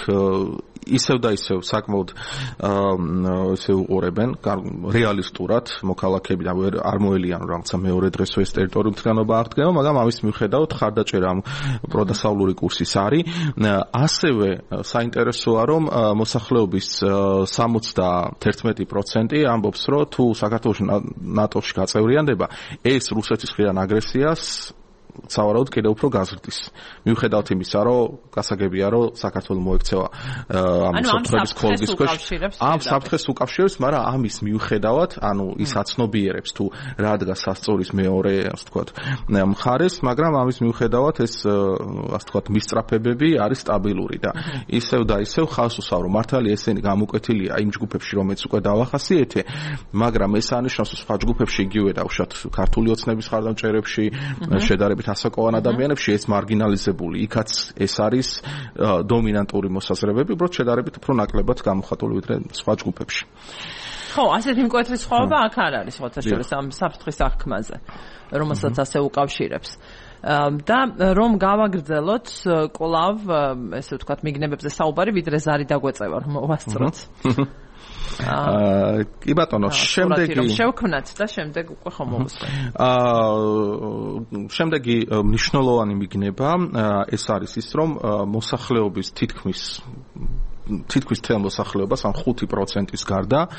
ისევ და ისევ საკმაოდ ესე უყურებენ რეალისტურად მოქალაქეები და არ მოელიან რაღაცა მეორე დღესო ეს ტერიტორიული მთლიანობა აღდგება, მაგრამ ამის მიუხედავად ხარდაჭერა პროდასავლური კურსის არის. ასევე საინტერესოა, რომ მოსახლეობის 71% ამბობს, რომ თუ საქართველოს ნატოში გაწევრიანდება, ეს რუსეთის მხრიდან აგრესიას სავარაუდოდ კიდევ უფრო გაზრდის. მიუხედავად იმისა, რომ გასაგებია, რომ საქართველოს მოექცევა ამ საფრთხების ქოლგის ქვეშ. ამ საფრთხეს უკავშირებს, მაგრამ ამის მიუხედავად, ის აცნობიერებს თუ რა დგას სასწორის მეორე, ასე ვთქვათ, მხარეს, მაგრამ ამის მიუხედავად ეს, ასე ვთქვათ, მისწრაფებები არის სტაბილური და ისევ და ისევ ხავს უსავრო. მართალია ესენი გამოკვეთილია იმ ჯგუფებში, რომელიც უკვე დავახასიეთე, მაგრამ ეს ანიშნავს სხვა ჯგუფებში იგივე დავუშვათ ქართული ოცნების ხარდამჭერებში, შედარებით ასაკოვან ადამიანებში ეს მარგინალიზებული. იქაც ეს არის დომინანტური მოსაზრებები, უბრალოდ შედარებით უფრო ნაკლებად გამოხატული ვიდრე სხვა ჯგუფებში. ხო, ასეთი მკვეთრი სხვაობა აქ არ არის ხოთაშორის ამ საფრთხის აღქმაზე, რომელსაც ასე უკავშირებს. და რომ გავაგრძელოთ კვლავ, ესე ვთქვათ, მიგნებებზე საუბარი, ვიდრე ზარი დაგვეწევა, რომ მოვასწროთ. კი ბატონო, შემდეგი შევქმნათ და შემდეგ უკვე ხომ მოვუსწროთ. შემდეგი მნიშვნელოვანი მიგნება ეს არის ის, რომ მოსახლეობის თითქმის თელ მოსახლეობას ამ 5%-ის გარდა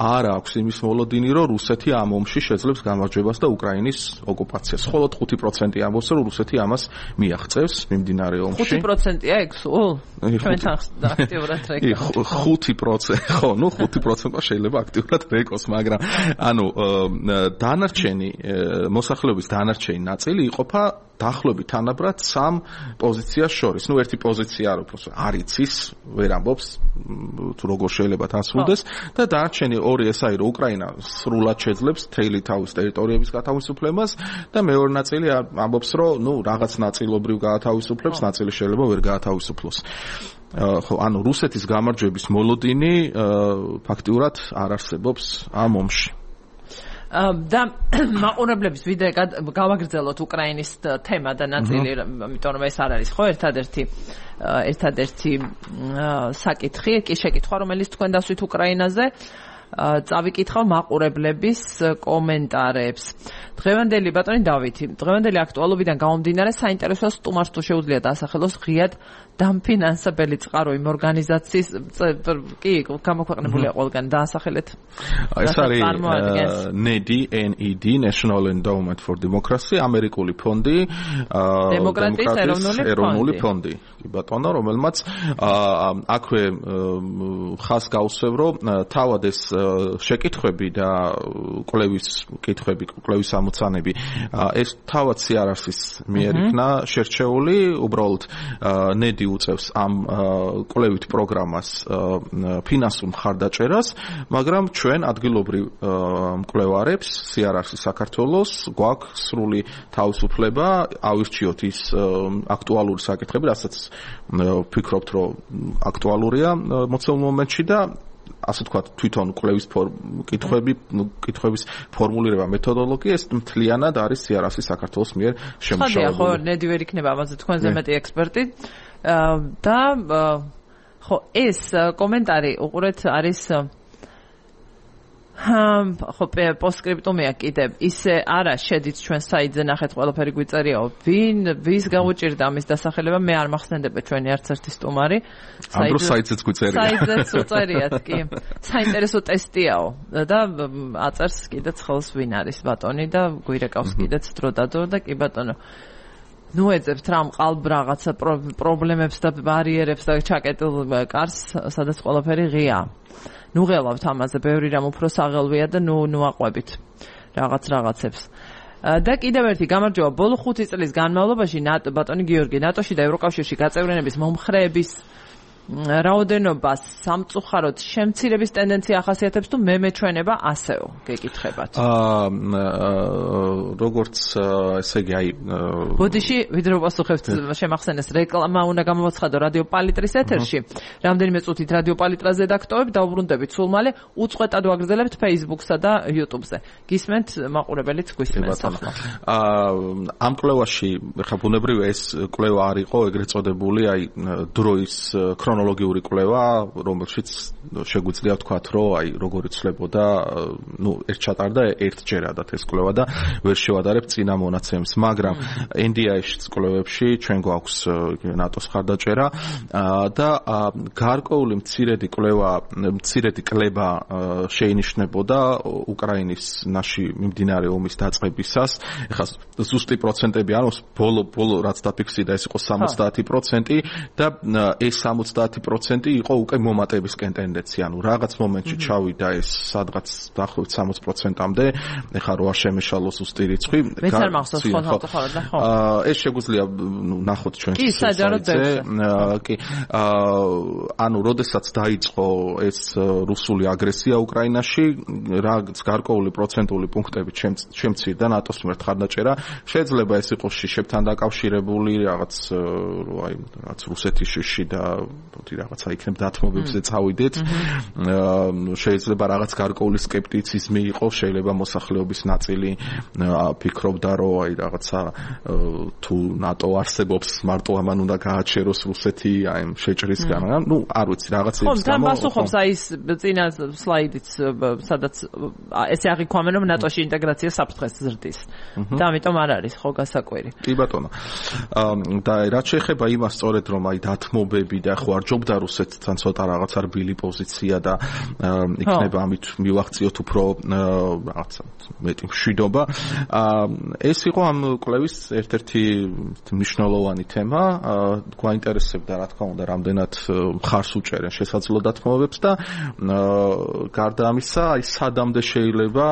არ აქვს იმის მოლოდინი, რომ რუსეთი ამ ომში შეძლებს გამარჯვებას და უკრაინის ოკუპაციას. მხოლოდ 5% ამბობს, რომ რუსეთი ამას მიაღწევს მიმდინარე ომში. 5%-ია ეგ სულ? ჩვენთან აქტიურად რეკოს. 5%, ხო, 5% შეიძლება აქტიურად რეკოს, მაგრამ დანარჩენი მოსახლეობის დანარჩენი ნაწილი იყოფა დაახლოებით თანაბრად 3 პოზიციას შორის. ერთი პოზიცია არ იცის, ვერ ამბობს თუ როგორ შეიძლება დასრულდეს და დანარჩენი ორი ეს არის, რომ უკრაინა სრულად შეძლებს მთელი თავის ტერიტორიების გათავისუფლებას და მეორე ნაწილი ამბობს, რომ რაღაც ნაწილობრივ გაათავისუფლებს, ნაწილი შეიძლება ვერ გაათავისუფლოს. ხო, რუსეთის გამარჯვების მოლოდინი ფაქტიურად არ არსებობს ამ ომში. და მაყურებლების ვიდეო გავაგრძელოთ უკრაინის თემა და ნაწილი, იმიტომ რომ ეს არ არის ხო ერთადერთი საკითხი, კი შეკითხვა, რომელიც თქვენ დასვით უკრაინაზე. წავიკითხავ მაყურებლების კომენტარებს. დღევანდელი ბატონი დავითი, დღევანდელი აქტუალობიდან გამომდინარე საინტერესოა სტუმარს თუ შეუძლია დაასახელოს ღიად დამფინანსებელი წყარო იმ ორგანიზაციის კი გამოქვეყნებულია ყველგან დაასახელეთ. ეს არის NED, National Endowment for Democracy, ამერიკული ფონდი, დემოკრატიის ეროვნული ფონდი. კი ბატონო, რომელმაც აქვე ხას გაუსვევ, რომ თავად ეს შეკითხვები და კვლევის ამოცანები ეს თავად CRRC-ის მიერ იქნა შერჩეული, უბრალოდ NED უწევს ამ კვლევით პროგრამას ფინანსურ მხარდაჭერას, მაგრამ ჩვენ ადგილობრივ მკვლევარებს CRRC საქართველოს გვაქვს სრული თავისუფლება ავირჩიოთ ის აქტუალური საკითხები, რასაც ვფიქრობთ, რომ აქტუალურია მოცემულ მომენტში და ასე თქვა თვითონ კვლევის კითხვების ფორმულირება მეთოდოლოგია ეს მთლიანად არის CRRC საქართველოს მიერ შემუშავებული. ხო, NED ვერ იქნება ამაზე თქვენზე მეტი ექსპერტი და ხო ეს კომენტარი უყურეთ არის ხო პოსტსკრიპტუმია კიდევ ისე არა შედით ჩვენ საიტზე ნახეთ ყველაფერი გვიწერიაო ვის გაუჭირდა ამის დასახელება მე არ მახსენდება ჩვენი არც ერთი სტუმარი საიტზეც გვწერია საიტზეც უწერიათ კი საინტერესო ტესტიაო და აწერს კიდეც ხელს ვინ არის ბატონი და გვირეკავს კიდეც დროდადრო და კი ბატონო ნუ ეძებთ რა მყალბ რაღაცა პრობლემებს და ბარიერებს და ჩაკეტილ კარს სადაც ყველაფერი ღია ნუ ღელავთ ამაზე, ბევრი რამ უფრო საღელვია და ნუ აყვებით რაღაცებს. და კიდევ ერთი გამარჯვება ბოლო 5 წლის განმავლობაში ბატონი გიორგი ნატოში და ევროკავშირში გაწევრიანების მომხრეების რაოდენობას სამწუხაროდ შემცირების ტენდენცია ახასიათებს თუ მეჩვენება ასეო გეკითხებათ. როგორც ესე იგი აი ბოდიში ვიდრე პასუხებთ შემახსენეს რეკლამა უნდა გამოვაცხადო რადიო პალიტრის ეთერში. რამდენიმე წუთით რადიო პალიტრას რედაქტორებ დაუბრუნდებით სულ მალე უწყვეტად ვაგრძელებთ Facebook-სა და YouTube-ზე. გისმენთ მაყურებელიც გვისმენთ ახლა. ამ კვლევაში ხა ბუნებრივია ეს კვლევა არ იყო ეგრეთ წოდებული აი დროის ქრონოლოგია ქრონოლოგიური კვლევა, რომელშიც შეგვიძლია ვთქვათ, რომ აი როგორ იცვლებოდა, ერთ ჩატარდა ერთჯერადად ეს კვლევა და ვერ შევადარებ წინა მონაცემს, მაგრამ NDI-ში კვლევებში ჩვენ გვაქვს ნატოს ხარდაჭერა და გარკვეული მცირედი კლება შეინიშნებოდა უკრაინის ნაში მიმდინარე ომის დაწყებისას. ეხლა ზუსტი პროცენტები არ აქვს, ბოლო რაც დაფიქსირდა ეს იყო 70% და ეს 70% იყო უკვე მომატებისკენ ტენდენცია. ანუ რაღაც მომენტში ჩავიდა ეს სადღაც დაახლოებით 60%-მდე. ეხლა რო არ შემეშალოს ზუსტი რიცხვი. მეც არ მახსოვს ხო და ხო. ეს შეგვიძლია ნახოთ ჩვენ კი, საჯაროდ კი. ანუ როდესაც დაიწყო ეს რუსული აგრესია უკრაინაში, რაღაც გარკვეული პროცენტული პუნქტები შემცირდა ნატოს მიმართ ხარდაჭერა. შეიძლება ეს იყოს შიშებთან დაკავშირებული რაღაც რუსეთში და რაღაცა იქნებ დათმობებზე წავიდეთ. შეიძლება რაღაც გარკვეული სკეპტიციზმი იყოს, შეიძლება მოსახლეობის ნაწილი ფიქრობდა, რომ აი რაღაცა თუ ნატო არსებობს, მარტო ამან უნდა გააჩეროს რუსეთი აი შეჭრისგან. ნუ არ ვიცი რაღაცა ის გამო. ხო, პასუხობს აი ეს წინა სლაიდიც, სადაც ესე აღიქვამენ, რომ ნატოში ინტეგრაცია საფრთხეს ზრდის. და ამიტომ არ არის ხო გასაკვირი. კი ბატონო. და რაც შეეხება იმას სწორედ რომ აი დათმობები და ხო არ ჯობდა რუსეთთან ცოტა რაღაც რბილი პოზიცია და იქნება ამით მივახციოთ უფრო რაღაცა მეტი მშვიდობა. ეს იყო ამ კვლევის ერთ-ერთი მნიშვნელოვანი თემა. გვაინტერესებდა რა თქმა უნდა რამდენად მხარს უჭერენ შესაძლო დათმობებს და გარდა ამისა აი სადამდე შეიძლება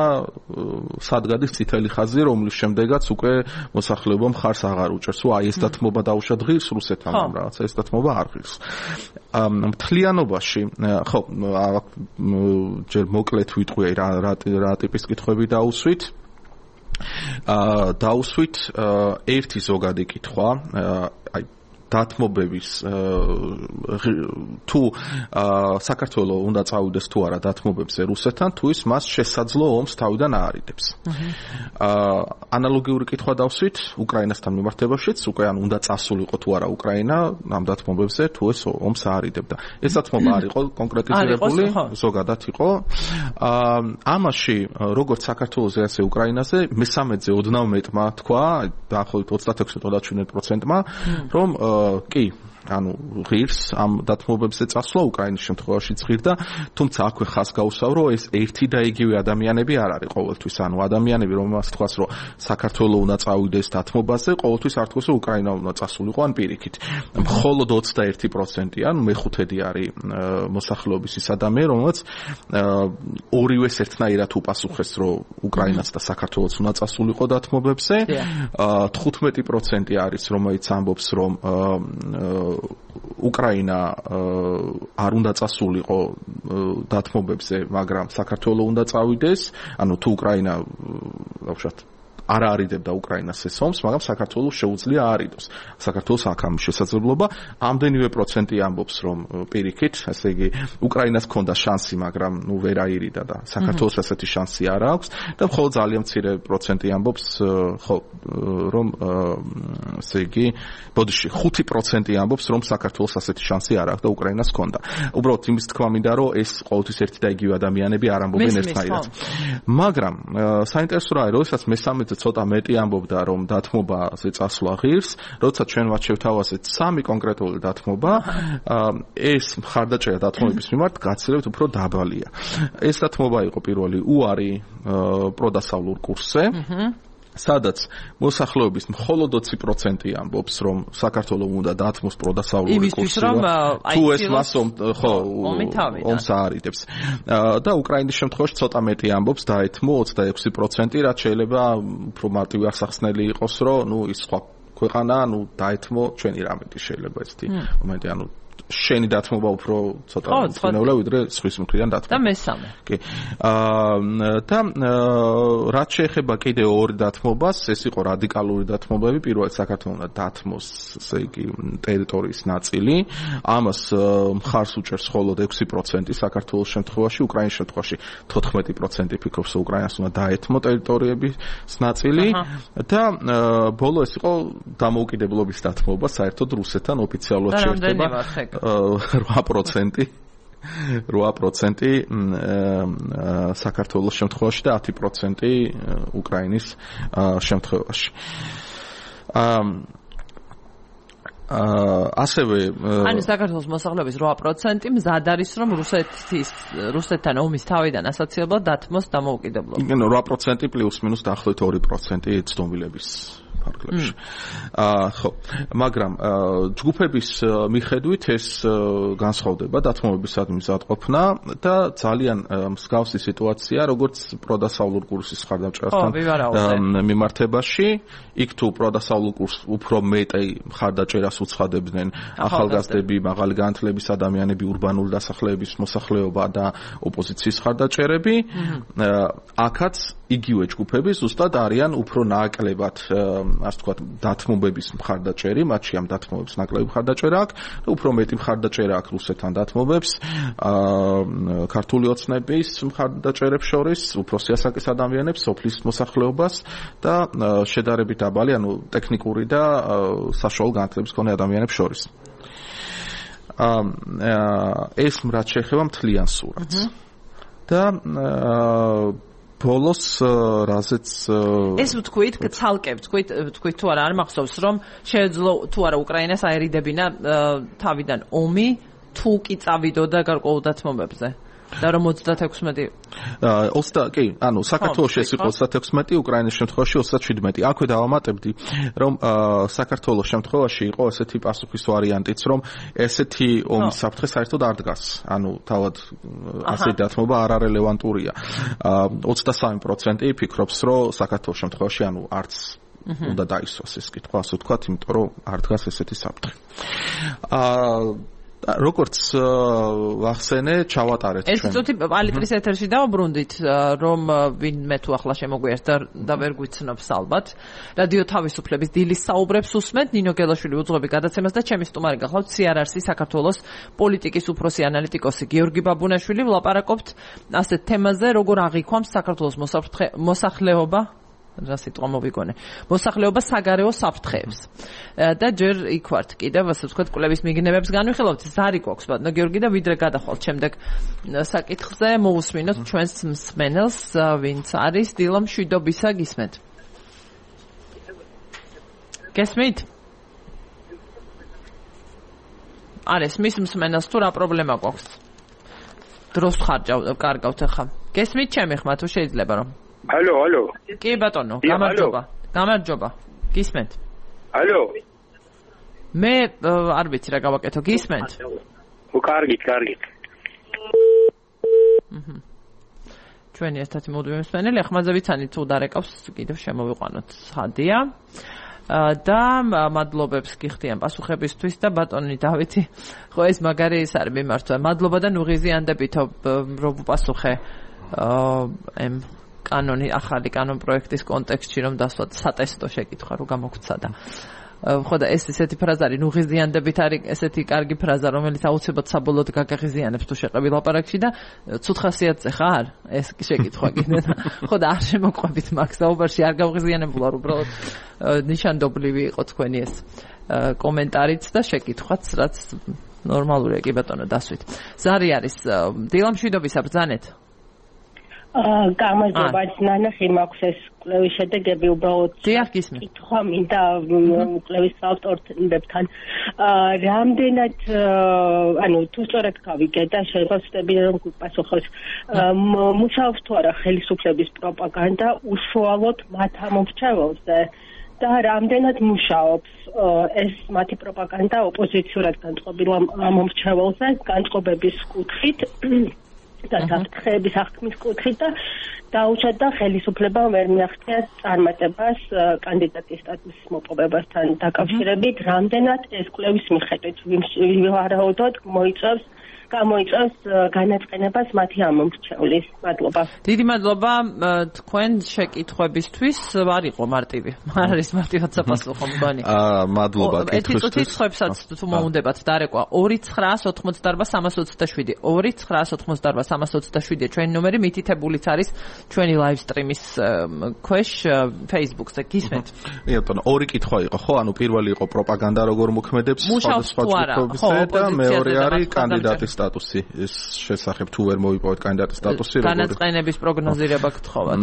სადგადის წითელი ხაზი, რომლის შემდეგაც უკვე მოსახლეობა მხარს აღარ უჭერს. აი ეს დათმობა დაუშვა დღის რუსეთთან, მაგრამ რაღაცა ეს დათმობა არ ღირს. მთლიანობაში, ხო, ჯერ მოკლედ ვიტყვი რა ტიპის კითხვები დაუსვით. დაუსვით ერთი ზოგადი კითხვა, აი დათმობების თუ საქართველო უნდა წავიდეს თუ არა დათმობებზე რუსეთთან, თუ ის მას შესაძლო ომს თავიდან აარიდებს. ანალოგიური კითხვა დავსვით უკრაინასთან მიმართებაშიც, უკვე ან უნდა წასულიყო თუ არა უკრაინა ამ დათმობებზე, თუ ეს ომს აარიდებდა. ეს დათმობა არ იყო კონკრეტიზირებული, ზოგადად იყო. ამაში როგორც საქართველოზე, ასე უკრაინაზე მესამედზე ოდნავ მეტმა თქვა, დაახლოებით 36-37%-მა, რომ კი, ანუ ღირს ამ დათმობებზე წასვლა უკრაინის შემთხვევაში ღირდა, თუმცა აქვე ხაზს გაუსვავრო, ეს ერთი და იგივე ადამიანები არ არის ყოველთვის, ანუ ადამიანები რომელსაც თქვას, რომ საქართველო უნდა წავიდეს დათმობაზე, ყოველთვის არ თქვას, რომ უკრაინა უნდა წასულიყო ან პირიქით. მხოლოდ 21%, ანუ მეხუთედი არის მოსახლეობის ის ადამიანი, რომელსაც ორივეს ერთნაირად უპასუხეს, რომ უკრაინაც და საქართველოც უნდა წასულიყო დათმობებზე. 15% არის, რომელიც ამბობს, რომ უკრაინა არ უნდა წასულიყო დათმობებზე, მაგრამ საქართველო უნდა წავიდეს, ანუ თუ უკრაინა ვთქვათ არ არიდებდა უკრაინას ეს ომს, მაგრამ საქართველოს შეუძლია არიდოს. საქართველოს აქ ამ შესაძლებლობა, ამდენივე პროცენტი ამბობს, რომ პირიქით, ესე იგი, უკრაინას ჰქონდა შანსი, მაგრამ ნუ ვერ აირიდა და საქართველოს ასეთი შანსი არ აქვს და მხოლოდ ძალიან მცირე პროცენტი ამბობს, ხო, რომ ესე იგი, ბოდიში 5% ამბობს, რომ საქართველოს ასეთი შანსი არ აქვს და უკრაინას ჰქონდა. უბრალოდ იმის თქმა მინდა, რომ ეს ყოველთვის ერთი და იგივე ადამიანები არ ამბობენ ერთნაირად. მაგრამ საინტერესო რა არის, როდესაც მესამეზე ცოტა მეტი ამბობდა, რომ დათმობაზე წასვლა ღირს, როცა ჩვენ მათ შევთავაზეთ 3 კონკრეტული დათმობა, ეს მხარდაჭერა დათმობების მიმართ გაცილებით უფრო დაბალია. ეს დათმობა იყო პირველი უარი პროდასავლურ კურსზე, სადაც მოსახლეობის მხოლოდ 20% ამბობს, რომ საქართველო უნდა დათმოს პროდასავლური კურსი, თუ ეს მას ომს აარიდებს. და უკრაინის შემთხვევაში ცოტა მეტი ამბობს, დაეთმო 26%, რაც შეიძლება უფრო მარტივი აღსახსნელი იყოს, რომ ნუ ის სხვა ქვეყანა, ნუ დაეთმო ჩვენი რამეთი შეიძლება ესეთი მომენტი, ანუ შენი დათმობა უფრო ცოტა მცნეულა ვიდრე სხვის მხრიდან დათმობა. და მესამე. კი. და რაც შეეხება კიდე ორი დათმობას, ეს იყო რადიკალური დათმობები, პირველად საქართველოს უნდა დათმოს, ესე იგი, ტერიტორიის ნაწილი. ამას მხარს უჭერს მხოლოდ 6% საქართველოს შემთხვევაში, უკრაინის შემთხვევაში 14% ფიქრობს, რომ უკრაინას უნდა დაეთმო ტერიტორიების ნაწილი და ბოლო ეს იყო დამოუკიდებლობის დათმობა, საერთოდ რუსეთთან ოფიციალურად შეერთება. საქართველოს შემთხვევაში და 10% უკრაინის შემთხვევაში. ასევე ანუ საქართველოს მოსახლეობის 8% მზად არის რომ რუსეთთან ომის თავიდან ასოციებლად დათმოს დამოუკიდებლობა. იგი 8% პლუს მინუს დაახლოებით 2% ცნობილების ფარგლებში. ხო, მაგრამ ჯგუფების მიხედვით ეს განსხვავდება დათმობებისადმი მზადყოფნა და ძალიან მსგავსი სიტუაცია, როგორც პროდასავლურ კურსის ხარდაჭერასთან მიმართებაში. იქ თუ პროდასავლურ კურსს უფრო მეტი ხარდაჭერას უცხადებდნენ ახალგაზრდები, მაღალი განათლების ადამიანები, ურბანული დასახლეების მოსახლეობა და ოპოზიციის ხარდაჭერები, აქაც იგივე ჯგუფები ზუსტად არიან უფრო ნაკლებად, ასე ვთქვათ, დათმობების მხარდაჭერი, მათში ამ დათმობებს ნაკლები მხარდაჭერა აქვს, უფრო მეტი მხარდაჭერა აქვს რუსეთთან დათმობებს, ქართული ოცნების მხარდაჭერებს შორის, უფრო სიასაკის ადამიანებს, სოფლის მოსახლეობას და შედარებით დაბალი, ანუ ტექნიკური და საშუალო განათლების მქონე ადამიანებს შორის. ეს რაც შეეხება მთლიან სურათს. და ბოლოს რაზეც ეს ვთქვით, ცალკე ვთქვით თუ არა არ მახსოვს რომ შეეძლო თუ არა უკრაინას აერიდებინა თავიდან ომი თუ კი წავიდოდა გარკვეულ დათმობებზე და რომ 36 კი, ანუ საქართველოში ეს იყო 36, უკრაინის შემთხვევაში 37. აქვე დავამატებდი, რომ საქართველოს შემთხვევაში იყო ესეთი პასუხის ვარიანტიც, რომ ესეთი ომის საფრთხე საერთოდ არ დგას. ანუ თავად ასე დათმობა არ არელევანტურია. 23% ფიქრობს, რომ საქართველოს შემთხვევაში ანუ არც უნდა დაისვას ეს კითხვა, ასე ვთქვათ, იმიტომ რომ არ დგას ესეთი საფრთხე. როგორც ვახსენე, ჩავატარეთ ჩვენ. ეს წუთი პალიტრის ეთერში დავუბრუნდით, რომ ვინმე თუ ახლა შემოგვიერთდა და ვერ გვიცნობს ალბათ. რადიო თავისუფლების დილის საუბრებს უსმენთ, ნინო გელაშვილი უძღვები გადაცემას და ჩემი სტუმარი გახლავთ CRRC საქართველოს პოლიტიკის უფროსი ანალიტიკოსი გიორგი ბაბუნაშვილი. ვლაპარაკობთ ასეთ თემაზე, როგორ აღიქვამს საქართველოს მოსახლეობა რა სიტყვა მოვიგონე. მოსახლეობა საგარეო საფრთხეებს. და ჯერ იქ ვართ კიდევ, ასე ვთქვათ, კვლევის მიგნებებს განვიხილავთ. ზარი გვაქვს, ბატონო გიორგი და ვიდრე გადახვალთ შემდეგ საკითხზე, მოусმინოთ ჩვენს მსმენელს, ვინც არის დილა მშვიდობისა გისმენთ. გესმით? არის მის მსმენელს თუ რა პრობლემა გვაქვს? დროს კარგავთ ახლა. გესმით ჩემი ხმა თუ შეიძლება რომ Алло. კი ბატონო, გამარჯობა. გისმენთ? Алло. მე არ ვიცი რა გავაკეთო, გისმენთ? კარგით. ჩვენი ერთად მოდივი მსმენელი, ახმაზე ვიცანი თუ დარეკავს, კიდევ შემოვიყვანოთ. ხადია. და მადლობებს გიხდიან პასუხებისთვის და ბატონი დავითი, ხო ეს მაგარი ის არის მიმართვა. მადლობა და ნუღიზიანდებითო რომ პასუხე ახალი კანონ პროექტის კონტექსტში რომ დასვათ სატესტო შეკითხვა რო გამოგცა და ხო და ეს ესეთი ფრაზა არის ნუღიზიანდებით არის ესეთი კარგი ფრაზა რომელიც აუცილებლად საბოლოოდ გაგაღიზიანებს თუ შეყები ლაპარაკში და ცუდ ხასიათზე ხარ ეს შეკითხვა კიდე ხო და არ შემოყვებით მაგ საუბარში არ გავღიზიანებულა უბრალოდ ნიშანდობლივი იყო თქვენი ეს კომენტარიც და შეკითხვაც რაც ნორმალურია კი ბატონო დასვით ზარი არის დილამშვიდობისა ბრძანეთ გამარჯობა ნანახი მაქვს ეს კვლევის შედეგები უბრალოდ კითხვა მინდა კვლევის ავტორებთან რამდენად ანუ თუ სწორად გავიგე და შეიძლება ვწდები რომ გიპასუხოს მუშაობს თუ არა ხელისუფლების პროპაგანდა უშუალოდ მათ ამომრჩეველზე და რამდენად მუშაობს ეს მათი პროპაგანდა ოპოზიციურად განწყობილ ამომრჩეველზე განწყობების კუთხით და საფრთხეების აღქმის კუთხით და დაუჩათ და ხელისუფლება ვერ მიაღწია წარმატებას კანდიდატის სტატუსის მოპოვებასთან დაკავშირებით, რამდენად ეს კვლევის მიხედვით ვარაუდოდ მოიწევს გამოიწვევს განაწყენებას მათი ამომრჩევლის. მადლობა. დიდი მადლობა თქვენ შეკითხვებისთვის. არ იყო მარტივი. არ არის მარტივად საფასუხო მგონი. მადლობა კითხვისთვის. ცხრებსაც თუ მოუნდებათ დარეკვა 2988327 2988327 ჩვენი ნომერი მითითებულიც არის ჩვენი live stream-ის ქვეშ Facebook-ზე გისმენთ. ბატონო, ორი კითხვა იყო, ხო? ანუ პირველი იყო პროპაგანდა როგორ მოქმედებს სხვადასხვა ჯგუფებზე და მეორე არის კანდიდატის სტატუსი. ეს შესახებ თუ ვერ მოვიპოვეთ კანდიდატის სტატუსი როგორ განაწყენების პროგნოზირება გთხოვათ.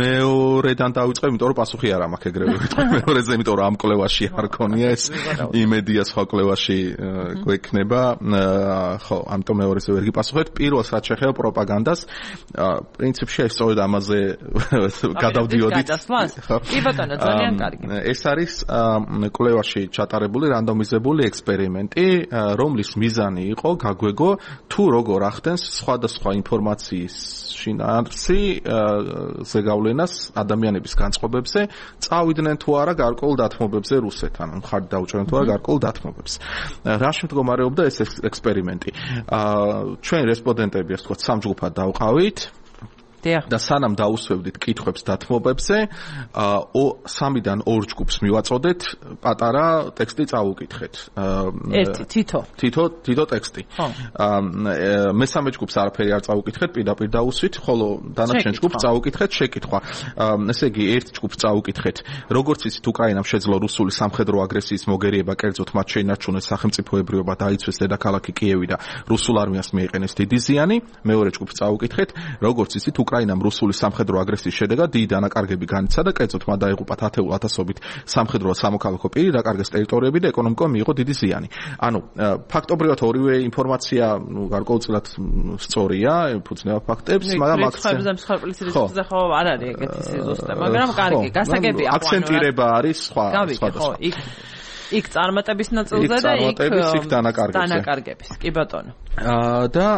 მეორედან დავიწყებ, იმიტომ რომ პასუხი არ მაქვს ეგრევე ვიტყვი მეორეზე, იმიტომ რომ ამ კვლევაში არ ქონია ეს იმედია სხვა კვლევაში გვექნება. ხო, ამიტომ მეორეზე ვერ გიპასუხეთ. პირველს რაც შეეხება პროპაგანდას, პრინციპში ეს სწორედ ამაზე გადავდიოდით. კი ბატონო, ძალიან კარგი. ეს არის კვლევაში ჩატარებული რანდომიზებული ექსპერიმენტი, რომლის მიზანი იყო გაგვეგო თუ როგორ ახდენს სხვადასხვა ინფორმაციის შინაარსი ზეგავლენას ადამიანების განწყობებზე, წავიდნენ თუ არა გარკვეულ დათმობებზე რუსეთთან, მხარდ დაუჭერენ თუ არა გარკვეულ დათმობებს. რა შემდგომარეობდა ეს ექსპერიმენტი? ჩვენ რესპონდენტები, ასე ვთქვათ, სამ ჯგუფად დავყავით. და სანამ დაუსვევდით კითხვებს დათმობებზე, 3-დან 2 ჯგუფს მივაწოდეთ, პატარა ტექსტი წავუკითხეთ. თითო ტექსტი. მესამე ჯგუფს არაფერი არ წავუკითხეთ, პირდაპირ დაუსვით, ხოლო დანარჩენ ჯგუფს წავუკითხეთ შეკითხვა. ესე იგი, ერთ ჯგუფს წავუკითხეთ, როგორც იცით, უკრაინამ შეძლო რუსული სამხედრო აგრესიის მოგერიება, კერძოდ მათ შეინარჩუნეს სახელმწიფოებრიობა, დაიცვეს დედაქალაქი კიევი და რუსულ არმიას მიეყენეს დიდი ზიანი. მეორე ჯგუფს წავუკითხეთ, როგორც იცით, უკრაინამ რუსული სამხედრო აგრესიის შედეგად დიდი დანაკარგები განიცადა და კერძოდ მათ დაიღუპათ ათეულათასობით სამხედრო და სამოქალაქო პირი, დაკარგეს ტერიტორიები და ეკონომიკამ მიიღო დიდი ზიანი. ანუ ფაქტობრივად ორივე ინფორმაცია გარკვეულწილად სწორია, ეფუძნება ფაქტებს, მაგრამ აქცენტზე ხო არ არის ეგეთი სიზუსტე, მაგრამ კარგი, გასაგებია. აქცენტირება არის სხვა. იქ წარმატების ნაწილზე და იქ დანაკარგების. კი ბატონო. და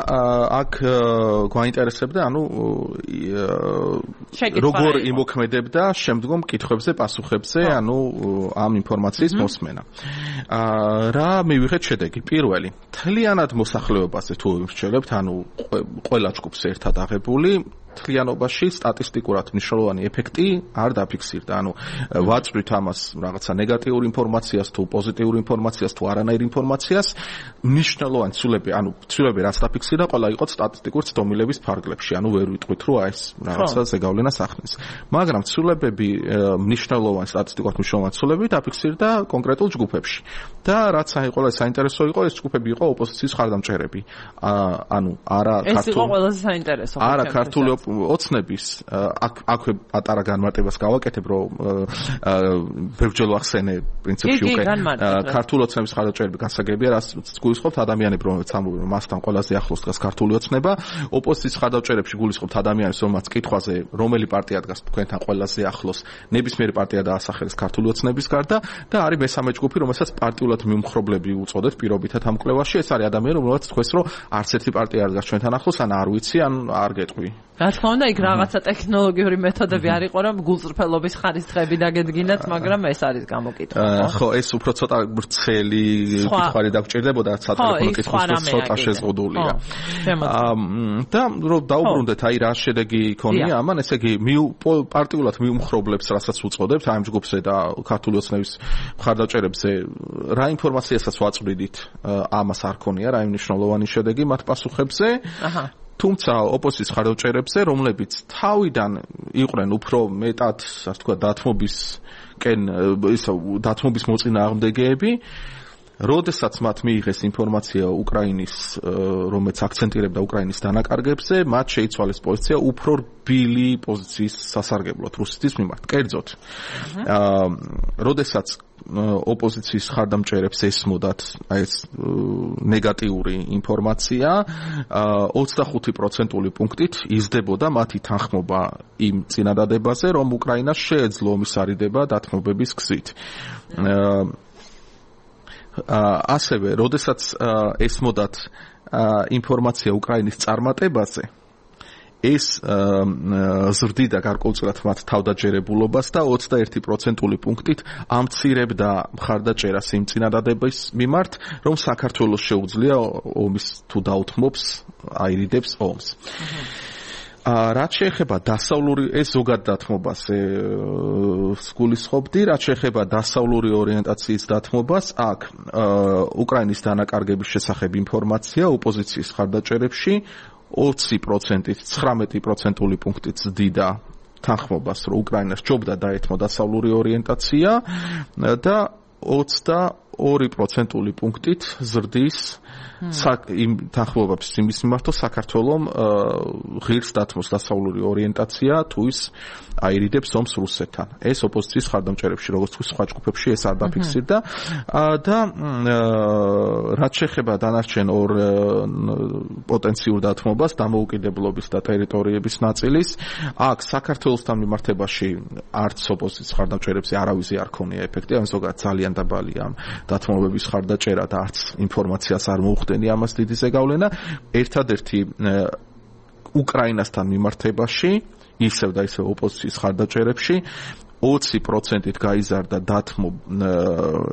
აქ გვაინტერესებდა, ანუ როგორ იმოქმედებდა შემდგომ კითხვებზე, პასუხებზე, ანუ ამ ინფორმაციის მოსმენა. რა მივიღეთ შედეგი? პირველი, მთლიანად მოსახლეობაზე თუ ვიმსჯელებთ, ანუ ყველა ჯგუფს ერთად აღებული, მთლიანობაში სტატისტიკურად მნიშვნელოვანი ეფექტი არ დაფიქსირდა. ანუ ვაწვით ამას რაღაცა ნეგატიურ ინფორმაციას თუ პოზიტიურ ინფორმაციას თუ არანაირ ინფორმაციას, მნიშვნელოვანი ცვლილები, ანუ ცვლილები რაც დაფიქსირდა, ყველა იყო სტატისტიკურ ცდომილების ფარგლებში. ანუ ვერ ვიტყვით, რომ ეს რაღაცა ზეგავლენას ახდენს. მაგრამ ცვლილებები, მნიშვნელოვანი სტატისტიკურად მნიშვნელოვანი ცვლილებები დაფიქსირდა კონკრეტულ ჯგუფებში. და რაც საინტერესო იყო, ეს ჯგუფები იყო ოპოზიციის მხარდამჭერები. ანუ არა ქართული. ეს იყო ყველაზე საინტერესო. არა ქართული ოცნების, აქვე პატარა განმარტებას გავაკეთებ, რომ ბევრჯერ ახსენე პრინციპში უკვე ქართული ოცნების მხარდამჭერები გასაგებია, რაც გულისხმობთ ადამიანებს, რომლებიც ამბობენ, რომ მასთან ყველაზე ახლოს დგას ქართული ოცნება, ოპოზიციის მხარდამჭერებში გულისხმობთ ადამიანებს, რომლებიც კითხვაზე, რომელი პარტია დგას თქვენთან ყველაზე ახლოს, ნებისმიერი პარტია დაასახელეს ქართული ოცნების გარდა და არის მესამე ჯგუფი, რომელსაც პარტიულად მიუმხრობლები უწოდეთ პირობითად ამ კვლევაში, ეს არის ადამიანები, რომლებიც თქვენს, რომ არც ერთი პარტია არ დგას ჩვენთან ახლოს, ან არ ვიცი, ან არ გეტყვი. რა თქმა უნდა, იქ რაღაცა ტექნოლოგიური მეთოდები არ იყო, რომ გულწრფელობის ხარისხები დაგედგინათ, მაგრამ ეს არის გამოკითხვა. ხო, ეს უფრო ცოტა ბრცელი კითხვარი დაგჭირდებოდა, სატელეფონო კითხვის ცოტა შეზღუდულია. და რომ დაუბრუნდეთ, აი რა შედეგი იქონია ამან, ესე იგი, პარტიულად მიუმხრობლებს, რასაც უწოდებთ, აი ამ ჯგუფზე და ქართული ოცნების მხარდამჭერებზე, რა ინფორმაციასაც ვაწვდით, ამას არ ქონია, რა მნიშვნელოვანი შედეგი მათ პასუხებზე. თუმცა ოპოზიციის მხარდამჭერებზე, რომლებიც თავიდან იყვნენ უფრო მეტად, ასე ვთქვათ, დათმობის მოწინააღმდეგეები, როდესაც მათ მიიღეს ინფორმაცია უკრაინის, რომელიც აქცენტირებდა უკრაინის დანაკარგებზე, მათ შეიცვალეს პოზიცია უფრო რბილი პოზიციის სასარგებლოდ რუსეთის მიმართ. კერძოდ, როდესაც ოპოზიციის მხარდამჭერებს ესმოდათ ეს ნეგატიური ინფორმაცია, 25% პუნქტით იზრდებოდა მათი თანხმობა იმ წინადადებაზე, რომ უკრაინას შეეძლო ომის არიდება დათმობების გზით. ასევე, როდესაც ესმოდათ ინფორმაცია უკრაინის წარმატებაზე, ეს ზრდიდა გარკვეულწილად მათ თავდაჯერებულობას და 21% პუნქტით ამცირებდა მხარდაჭერას იმ წინადადების მიმართ, რომ საქართველოს შეუძლია ომის თუ დაუთმობს, აირიდებს ომს. რაც შეეხება დასავლური ეს ზოგად დათმობას გულისხმობდი, რაც შეეხება დასავლური ორიენტაციის დათმობას, აქ უკრაინის დანაკარგების შესახებ ინფორმაცია ოპოზიციის მხარდაჭერებში 20%-ით 19% პუნქტით ზრდიდა თანხმობას, რომ უკრაინას ჯობდა დაეთმო დასავლური ორიენტაცია და 22% პუნქტით ზრდის იმ თანხმობებს იმის მიმართ, საქართველოს ღირს დათმოს დასავლური ორიენტაცია თუ ის აირიდებს ომს რუსეთთან. ეს ოპოზიციის მხარდამჭერებში, როგორც თქვი, სხვა ჯგუფებში ეს არ დაფიქსირდა და რაც შეეხება დანარჩენ ორ პოტენციურ დათმობას, დამოუკიდებლობის და ტერიტორიების ნაწილის, აქ საქართველოსთან მიმართებაში არც ოპოზიციის მხარდამჭერებში არავის არ ქონია ეფექტი, ან ზოგადად ძალიან დაბალია ამ დათმობების მხარდაჭერა და არც ინფორმაციას არ მოუხდენი ამას დიდი ზეგავლენა. ერთადერთი უკრაინასთან მიმართებაში ისევ და ისევ ოპოზიციის მხარდაჭერებში 20%-ით გაიზარდა დათმო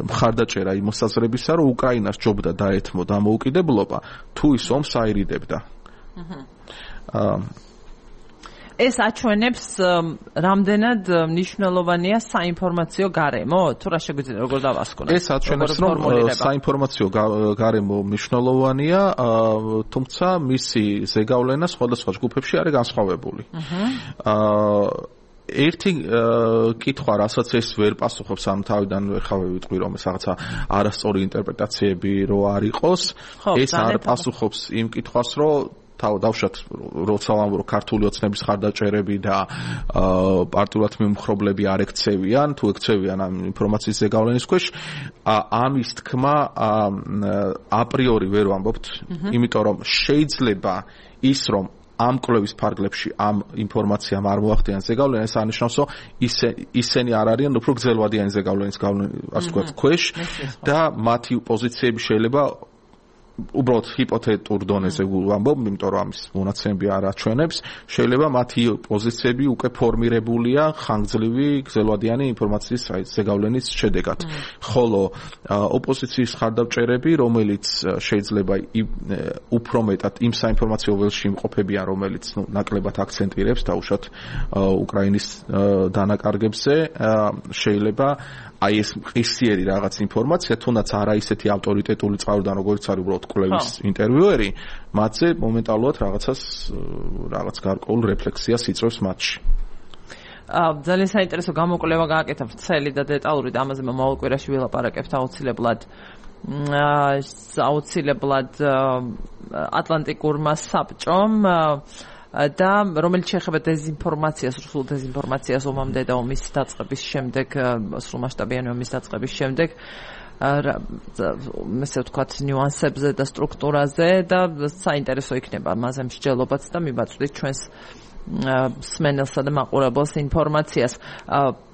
მხარდაჭერა იმ მოსაზრებისა, რომ უკრაინას ჯობდა დაეთმო დამოუკიდებლობა, თუ ის ომს აირიდებდა. ეს აჩვენებს რამდენად მნიშვნელოვანია საინფორმაციო გარემო, თუ რა შეგვიძლია როგორ დავასკვნოთ? ეს აჩვენებს, რომ საინფორმაციო გარემო მნიშვნელოვანია, თუმცა მისი ზეგავლენა სხვადასხვა ჯგუფებში არის განსხვავებული. ერთი კითხვა, რასაც ეს ვერ პასუხობს, ამ თავიდან ხავე ვიტყვი, რომ ეს რაღაცა არასწორი ინტერპრეტაციები რო არ იყოს, ეს არ პასუხობს იმ კითხვას, რომ დავშათ როცა ვამბობ ქართული ოცნების ხარდაჭერები და პარტიულად მიმხრობლები არ ექცევიან, თუ ექცევიან ამ ინფორმაციის ზეგავლენის ქვეშ, ამის თქმა აპრიორი ვერ ვამბობთ, იმიტომ რომ შეიძლება ის რომ ამ კვლევის ფარგლებში ამ ინფორმაციამ არ მოახდიან ზეგავლენა, ეს არნიშნავს, რომ ისინი არ არიან უფრო გრძელვადიანი ზეგავლენის ასე ვთქვათ ქვეშ და მათი პოზიციები შეიძლება უბრალოდ ჰიპოთეტურ დონეზე ვამბობ, იმიტომ რომ ამის მონაცემები არ აჩვენებს, შეიძლება მათი პოზიციები უკვე ფორმირებულია ხანგრძლივი გრძელვადიანი ინფორმაციის ზეგავლენის შედეგად. ხოლო ოპოზიციის მხარდამჭერები, რომელიც შეიძლება უფრო მეტად იმ საინფორმაციო ველში იმყოფებიან, რომელიც ნაკლებად აქცენტირებს დაუშვათ უკრაინის დანაკარგებზე, შეიძლება აი ეს ყისიერი რაღაც ინფორმაცია, თუნდაც არა ისეთი ავტორიტეტული წყაროდან, როგორც არის უბრალოდ კვლევის ინტერვიუერი, მათზე მომენტალურად რაღაც გარკვეულ რეფლექსიას იწვევს მათში. ძალიან საინტერესო გამოკვლევა გააკეთა ვრცელი და დეტალური და ამაზე მომავალ კვირაში ვილაპარაკებთ აუცილებლად ატლანტიკურმა საბჭომ და რომელიც შეეხება დეზინფორმაციას, სრულ დეზინფორმაციას ომამდე და ომის დაწყების შემდეგ, სრულმასშტაბიანი ომის დაწყების შემდეგ, ესე ვთქვათ, ნიუანსებზე და სტრუქტურაზე და საინტერესო იქნება მასზე მსჯელობაც და მივაწვდით ჩვენს მსმენელსა და მაყურებელს ინფორმაციას.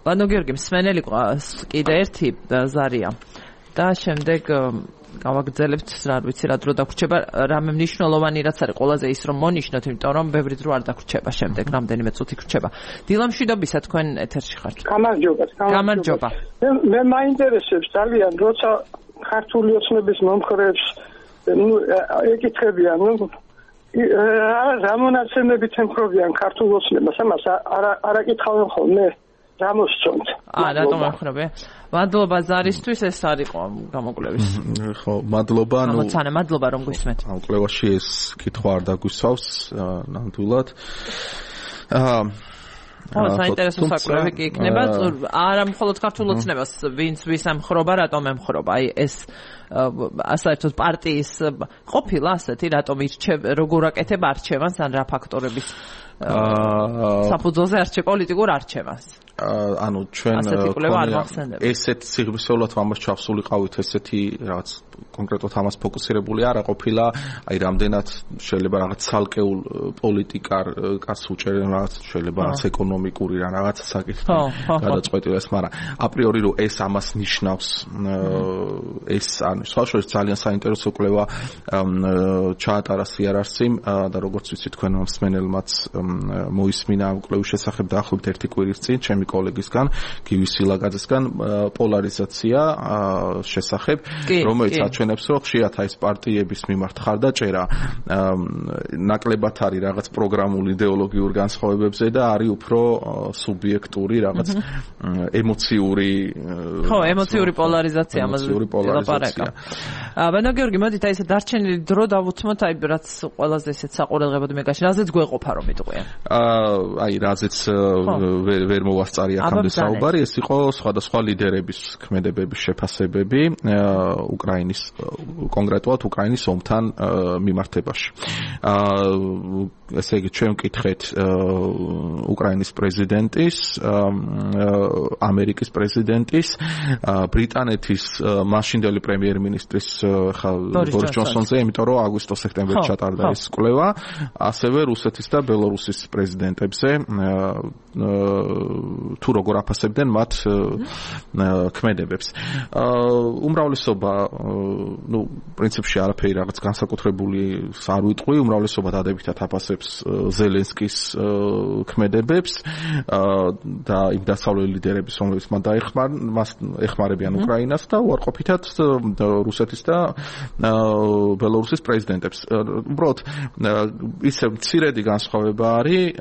ბანო გიორგი, მსმენელი კიდე ერთი ზარია და შემდეგ გავაგრძელებთ, რა ვიცი, რა დრო დაგვრჩება, რამე მნიშვნელოვანი რაც არის ყველაზე ის რომ მონიშნოთ, იმიტომ რომ ბევრი დრო არ დაგვრჩება შემდეგ, რამდენიმე წუთი გრჩება. დილამშვიდობისა, თქვენ ეთერში ხართ. გამარჯობა. მე მაინტერესებს ძალიან, როცა ქართული ოცნების მომხრეებს ეკითხებიან, რა მონაცემებით ემხრობიან ქართულ ოცნებას, ამას არ აკითხავენ ხოლმე. გამოსწონთ. რატომ ახრობე? მადლობა ზარისთვის, ეს არის გამოკვლევის. ხო, მადლობა, მოცანა, მადლობა რომ გვისმენთ. ამ კვლევაში ეს კითხვა არ დაგვისვავს ნამდვილად. საინტერესო საკვლევი კი იქნება, არა მხოლოდ ქართულ ოცნებას, ვინც ვის ემხრობა, რატომ ემხრობა. აი ეს საერთოდ პარტიის ყოფილა ასეთი, რატომ როგორ აკეთება არჩევანს, ან რა ფაქტორების საფუძველზე პოლიტიკურ არჩევანს. ანუ ჩვენ ესეთ სიღრმისეულად ამას ჩავსულიყავით, ესეთი რაღაც კონკრეტულად ამას ფოკუსირებული არა ყოფილა, აი რამდენად შეიძლება რაღაც ცალკეულ პოლიტიკარს უჭერენ, რაღაც შეიძლება რაღაც ეკონომიკური რა რაღაც საკითხი გადაწყვეტილებას, მაგრამ აპრიორი რომ ეს ამას ნიშნავს, ეს ან ირანის. სხვა შორის ძალიან საინტერესო კვლევა ჩაატარა CRRC-მ და როგორც ვიცი თქვენ მსმენელმაც მოისმინა ამ კვლევის შესახებ დაახლოებით 1 კვირის წინ ჩემი კოლეგისგან, გივი სილაგაძესგან პოლარიზაცია შესახებ, რომელიც აჩვენებს, რომ ხშირად ეს პარტიების მიმართ ხარდაჭერა ნაკლებად არის რაღაც პროგრამულ იდეოლოგიურ განსხვავებებზე და არის უფრო სუბიექტური რაღაც ემოციური ემოციური პოლარიზაცია ამაზე ლაპარაკა. ბანო გიორგი, მოდით აი ეს დარჩენილი დრო დავუთმოთ აი რაც ყველაზე ესეც საყურადღებოდ მეგაში, რაზეც გვეყოფა რომ იტყვიან. აი რაზეც ვერ მოვასწარი აქამდე საუბარი, ეს იყო სხვადასხვა ლიდერების ქმედებების შეფასებები უკრაინის კონკრეტულად უკრაინის ომთან მიმართებაში. ესე იგი ჩვენ ვკითხეთ უკრაინის პრეზიდენტის, ამერიკის პრეზიდენტის, ბრიტანეთის მაშინდელი პრემიერ-მინისტრის ბორის ჯონსონზე, იმიტომ რომ აგვისტო-სექტემბერში ჩატარდა ეს კვლევა, ასევე რუსეთის და ბელორუსის პრეზიდენტებზე, თუ როგორ აფასებდნენ მათ ქმედებებს. უმრავლესობა, პრინციპში არაფერი რაღაც განსაკუთრებული არ ვიტყვი, უმრავლესობა დადებითად აფასებს ზელენსკის ქმედებებს და იმ დასავლელი ლიდერების, რომლებიც მან ეხმარებიან უკრაინას და უარყოფითად რუსეთის და ბელორუსის პრეზიდენტებს. უბრალოდ ისე მცირედი განსხვავება არის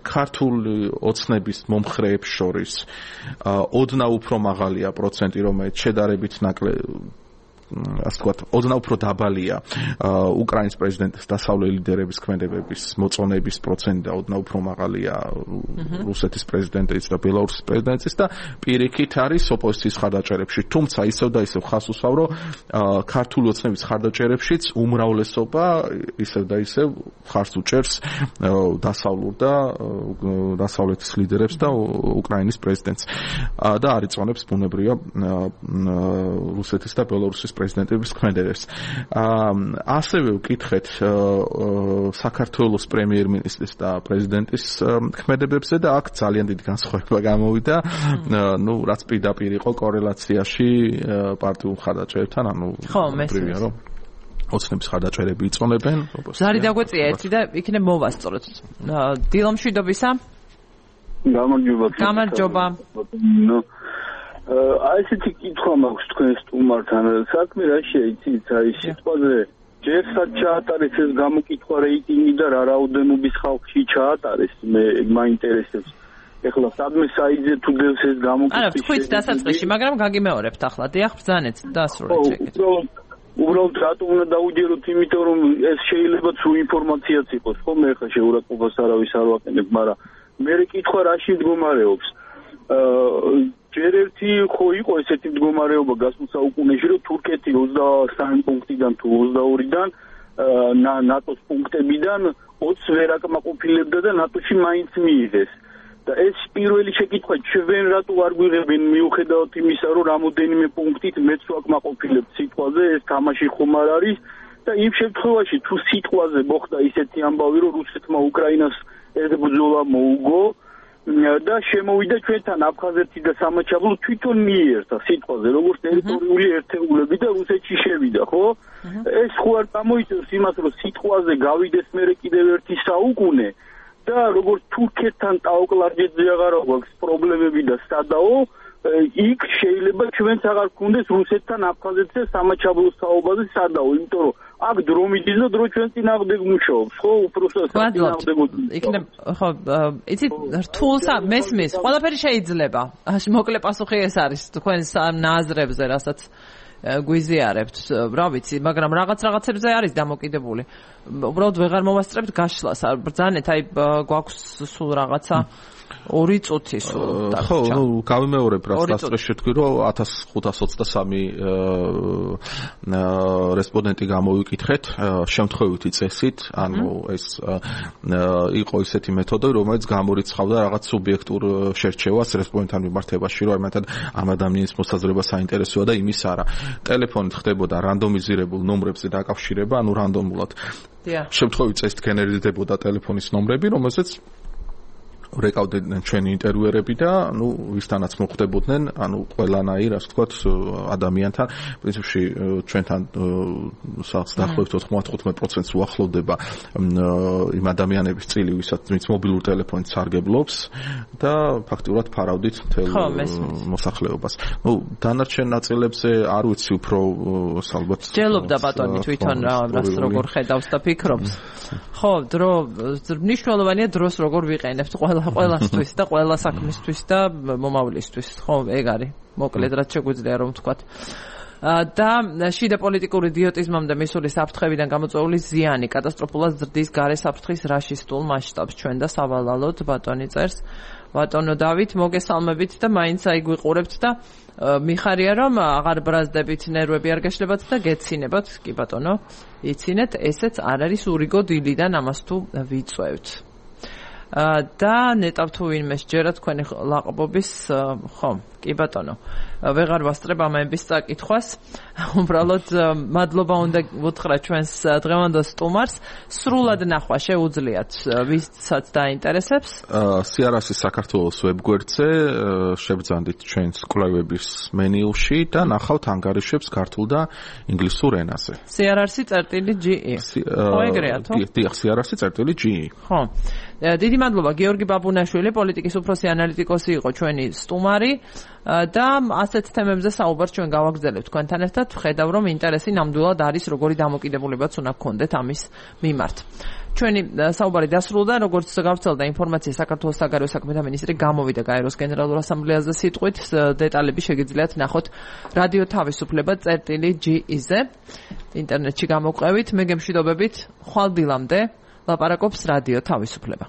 ქართული ოცნების მომხრეებს შორის ოდნავ უფრო მაღალია პროცენტი, რომელიც შედარებით ასე ვთქვათ, ოდნავ უფრო დაბალია უკრაინის პრეზიდენტის დასავლელი ლიდერების ქმედებების მოწონების პროცენტი და ოდნავ უფრო მაღალია რუსეთის პრეზიდენტის და ბელორუსის პრეზიდენტის და პირიქით არის ოპოზიციის ხარდაჭერებში. თუმცა ისევ და ისევ ხას უსვავ, რომ ქართული ოცნების ხარდაჭერებშიც უმრავლესობა ისევ და ისევ ხარს უჭერს დასავლურ და დასავლეთის ლიდერებს და უკრაინის პრეზიდენტს და არ იწონებს ბუნებრივია რუსეთის და ბელორუსის პრეზიდენტების ქმედებებს. ასევე ვკითხეთ საქართველოს პრემიერ-მინისტრის და პრეზიდენტის ქმედებებზე და აქ ძალიან დიდი განსხვავება გამოვიდა. რაც პირდაპირ იყო კორელაციაში პარტიულ ხარდაჭერებთან, მესმის რომ ოცნების ხარდაჭერები იწონებენ. ზარი დაგვეწია ერთი და იქნებ მოვასწოროთ. დილო მშვიდობისა. გამარჯობა. აი ესეთი კითხვა მაქვს თქვენ სტუმართან. საქმე რა შეიცით აი სიტყვაზე ჯერსაც ჩაატარეს ეს გამოკითხვა რეიტინგი და რა რაოდენობის ხალხში ჩაატარეს, მე მაინტერესებს. ეხლა სადმე საიძე თუ დევს ეს გამოკითხვა. არა, თქვით დასაწყისში, მაგრამ გაგიმეორებთ ახლა. დიახ, ბრძანეთ დასრულეთ შეკითხვა. უბრალოდ რატომ უნდა დაუჯეროთ, იმიტომ რომ ეს შეიძლება სულ ინფორმაციაც იყოს, ხო? მე ხა შეურაცხყოფას არავის არ ვაყენებ, მაგრამ მე კითხვა რაში მდგომარეობს. ჯერ ერთი ხო იყო ესეთი მდგომარეობა გასულ საუკუნეში, რომ თურქეთი 23 პუნქტიდან თუ 22-დან ნატოს პუნქტებიდან 20 ვერ აკმაყოფილებდა და ნატოში მაინც მიიღეს. და ეს პირველი შეკითხვა, ჩვენ რატო არ გვიღებენ მიუხედავად იმისა, რომ რამოდენიმე პუნქტით მეც ვაკმაყოფილებთ სიტყვაზე, ეს თამაში ხომ არ არის და იმ შემთხვევაში თუ სიტყვაზე მოხდა ისეთი ამბავი, რომ რუსეთმა უკრაინას ეს ბრძოლა მოუგო და შემოვიდა ჩვენთან აფხაზეთი და სამაჩაბლო თვითონ მიიერთა სიტყვაზე, როგორც ტერიტორიული ერთეულები და რუსეთში შევიდა, ხო? ეს ხო არ გამოიწევს იმას, რომ სიტყვაზე გავიდეს მერე კიდევ ერთი საუკუნე და როგორც თურქეთთან ტაოკლარჯეთზე აღარ აქვს პრობლემები და სადაო, იქ შეიძლება ჩვენც აღარ გქონდეს რუსეთთან აფხაზეთზე სამაჩაბლოს საუბაზე სადაო, იმიტომ რომ აქ დრო მიდის და დრო ჩვენ წინააღმდეგ მუშაობს, ხო? უпростоა წინააღმდეგო. იქნებ, ხო, იცით, რთულსა მესმის, ყველაფერი შეიძლება. მოკლე პასუხი ეს არის თქვენ ნაზრებზე, რასაც გვიზიარებთ, რა ვიცი, მაგრამ რაღაცებზე არის დამოკიდებული. უბრალოდ ვეღარ მოვასწრებთ გაშლას, ბრძანეთ, აი გვაქვს სულ რაღაცა 2 წუთი სულ. ხო, გავიმეორებ რა სასწრაფო თქვი, რომ 1523 რესპონდენტი გამოვიკითხეთ შემთხვევითი წესით, ანუ ეს იყო ისეთი მეთოდი, რომელიც გამორიცხავდა რაღაც სუბიექტურ შერჩევას რესპონდენტთან მიმართებაში, რომ ამათად ამ ადამიანის მოსაზრება საინტერესოა და იმის არა. ტელეფონით ხდებოდა რანდომიზირებულ ნომრებზე დაკავშირება, ანუ რანდომულად. შემთხვევით წესით გენერირდებოდა ტელეფონის ნომრები, რომელზეც რეკავდნენ ჩვენი ინტერვიუერები და ვისთანაც მოხვდებოდნენ, ყველანაირ, ასე ვთქვათ, ადამიანთან, პრინციპში ჩვენთან დაახლოებით 95% უახლოვდება იმ ადამიანების წილი, ვინც მობილურ ტელეფონით სარგებლობს და ფაქტიურად ფარავდით მთელ მოსახლეობას. დანარჩენ ნაწილებზე არ ვიცი უფრო ალბათ. ჯელობდა ბატონი თვითონ რას როგორ ხედავს და ფიქრობს. ხო, მნიშვნელოვანია დროს როგორ ვიყენებთ ყველასთვის და ყველა საქმისთვის და მომავლისთვის. ხო, ეგ არის. მოკლედ რაც შეგვიძლია რომ ვთქვათ. და შიდა პოლიტიკური იდიოტიზმამდე მისული საფრთხებიდან გამოწვეული ზიანი კატასტროფულად ზრდის გარე საფრთხის რაშისტულ მასშტაბს ჩვენ და სავალალოდ ბატონი წერს. ბატონო დავით, მოგესალმებით და მაინც აი გვიყურებთ და მიხარია რომ აღარ ბრაზდებით, ნერვები არ გაშლებათ და გეცინებათ. კი ბატონო, იცინეთ, ესეც არ არის ურიგო დილიდან ამას თუ ვიწევთ. და ნეტავ თუ ვინმე შეჯერა თქვენი ლაყბობის, ხო, კი ბატონო. ვეღარ ვასწრებ ამების წაკითხვას. უბრალოდ მადლობა უნდა ვუთხრა ჩვენს დღევანდელ სტუმარს. სრულად ნახვა შეუძლიათ ვისაც დაინტერესებს. CRS-ის საქართველოს ვებგვერდზე შევძანდით ჩვენს კვლევების მენიუში და ნახავთ ანგარიშებს ქართულ და ინგლისურ ენაზე. CRS-GE. ხო ეგრეა თუ? დიახ, CRS-GE. ხო. დიდი მადლობა გიორგი ბაბუნაშვილი, პოლიტიკის უფროსი ანალიტიკოსი იყო ჩვენი სტუმარი და ასეთ თემებზე საუბარს ჩვენ გავაგრძელებთ თქვენთან ერთად. ვხედავ რომ ინტერესი ნამდვილად არის, როგორი დამოკიდებულებაც უნდა გქონდეთ ამის მიმართ. ჩვენი საუბარი დასრულდა, როგორც გავრცელდა ინფორმაცია საქართველოს საგარეო საქმეთა მინისტრი გამოვიდა გაეროს გენერალურ ასამბლეაზე სიტყვით, დეტალები შეგიძლიათ ნახოთ რადიო თავისუფლება.ge-ზე ინტერნეტში გამოვყევით. მე გემშვიდობებით, ხვალ დილამდე ლაპარაკობს რადიო თავისუფლება.